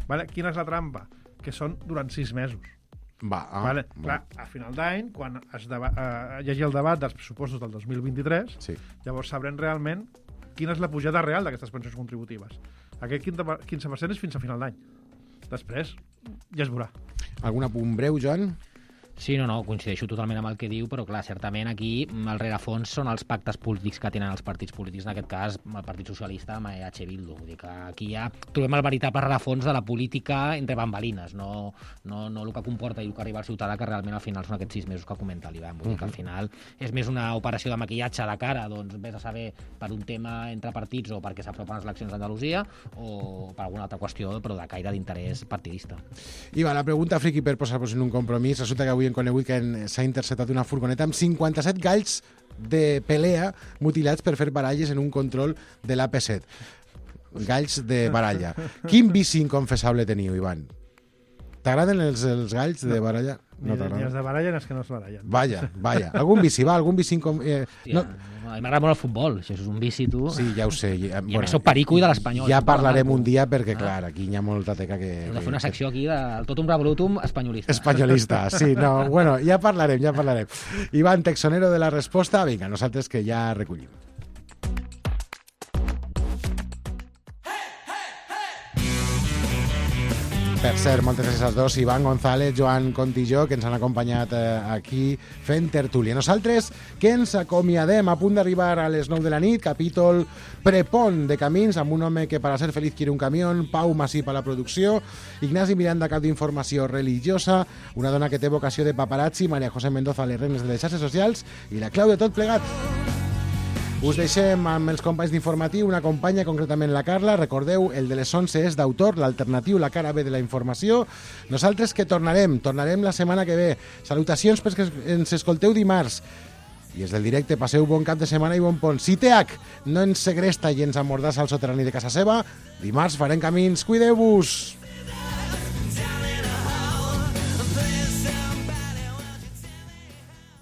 Vale? Quina és la trampa? Que són durant 6 mesos. Vale? Clar, a final d'any, quan hi hagi el debat dels pressupostos del 2023, llavors sabrem realment quina és la pujada real d'aquestes pensions contributives. Aquest 15% és fins a final d'any. Després ja es veurà. Algun apunt breu, Joan? Sí, no, coincideixo totalment amb el que diu, però clar, certament aquí el rerefons són els pactes polítics que tenen els partits polítics, en aquest cas el Partit Socialista amb EH Bildu. Vull dir que aquí ja trobem el veritable rerefons de la política entre bambalines, no el que comporta i el que arriba al ciutadà, que realment al final són aquests 6 mesos que comenta l'Ivan. Vull dir que al final és més una operació de maquillatge de cara, doncs vés a saber per un tema entre partits o perquè s'apropen les eleccions d'Andalusia o per alguna altra qüestió, però de caire d'interès partidista. Iva, la pregunta friqui per posar-vos en un compromís. Resulta que avui hem conegut que s'ha interceptat una furgoneta amb 57 galls de pelea mutilats per fer baralles en un control de l'AP7. Galls de baralla. Quin vici inconfessable teniu, Ivan? T'agraden els galls de baralla? No ni els de baralla ni els que no es barallen. Vaja. Algun vici, M'agrada molt el futbol, això és un vici, tu. Sí, ja ho sé. I a més soc perico i de l'Espanyol. Ja parlarem un dia perquè, clar, aquí hi ha molta teca que... Hem de fer una secció aquí del totum revolutum espanyolista. Espanyolista, sí. No, bueno, ja parlarem. Ivan, texonero de la resposta. Vinga, nosaltres que ja recollim. Per cert, moltes gràcies als dos, Ivan González, Joan Contilló, que ens han acompanyat aquí fent tertúlia. Nosaltres que ens acomiadem a punt d'arribar a les 9 de la nit, capítol prepont de Camins, amb un home que para ser feliz quiere un camión, Pau Masip a la producció, Ignasi Miranda, cap d'informació religiosa, una dona que té vocació de paparazzi, Maria José Mendoza, les reines de les xarxes socials, i la clau de tot plegat. Us deixem amb els companys d'informatiu, una companya, concretament la Carla. Recordeu, el de les 11 és d'autor, l'alternatiu, la cara B de la informació. Nosaltres que tornarem la setmana que ve. Salutacions perquè ens escolteu dimarts. I és del directe, passeu bon cap de setmana i bon pont. Si TH no ens segresta i ens amordassa al soterrani de casa seva, dimarts farem camins. Cuideu-vos!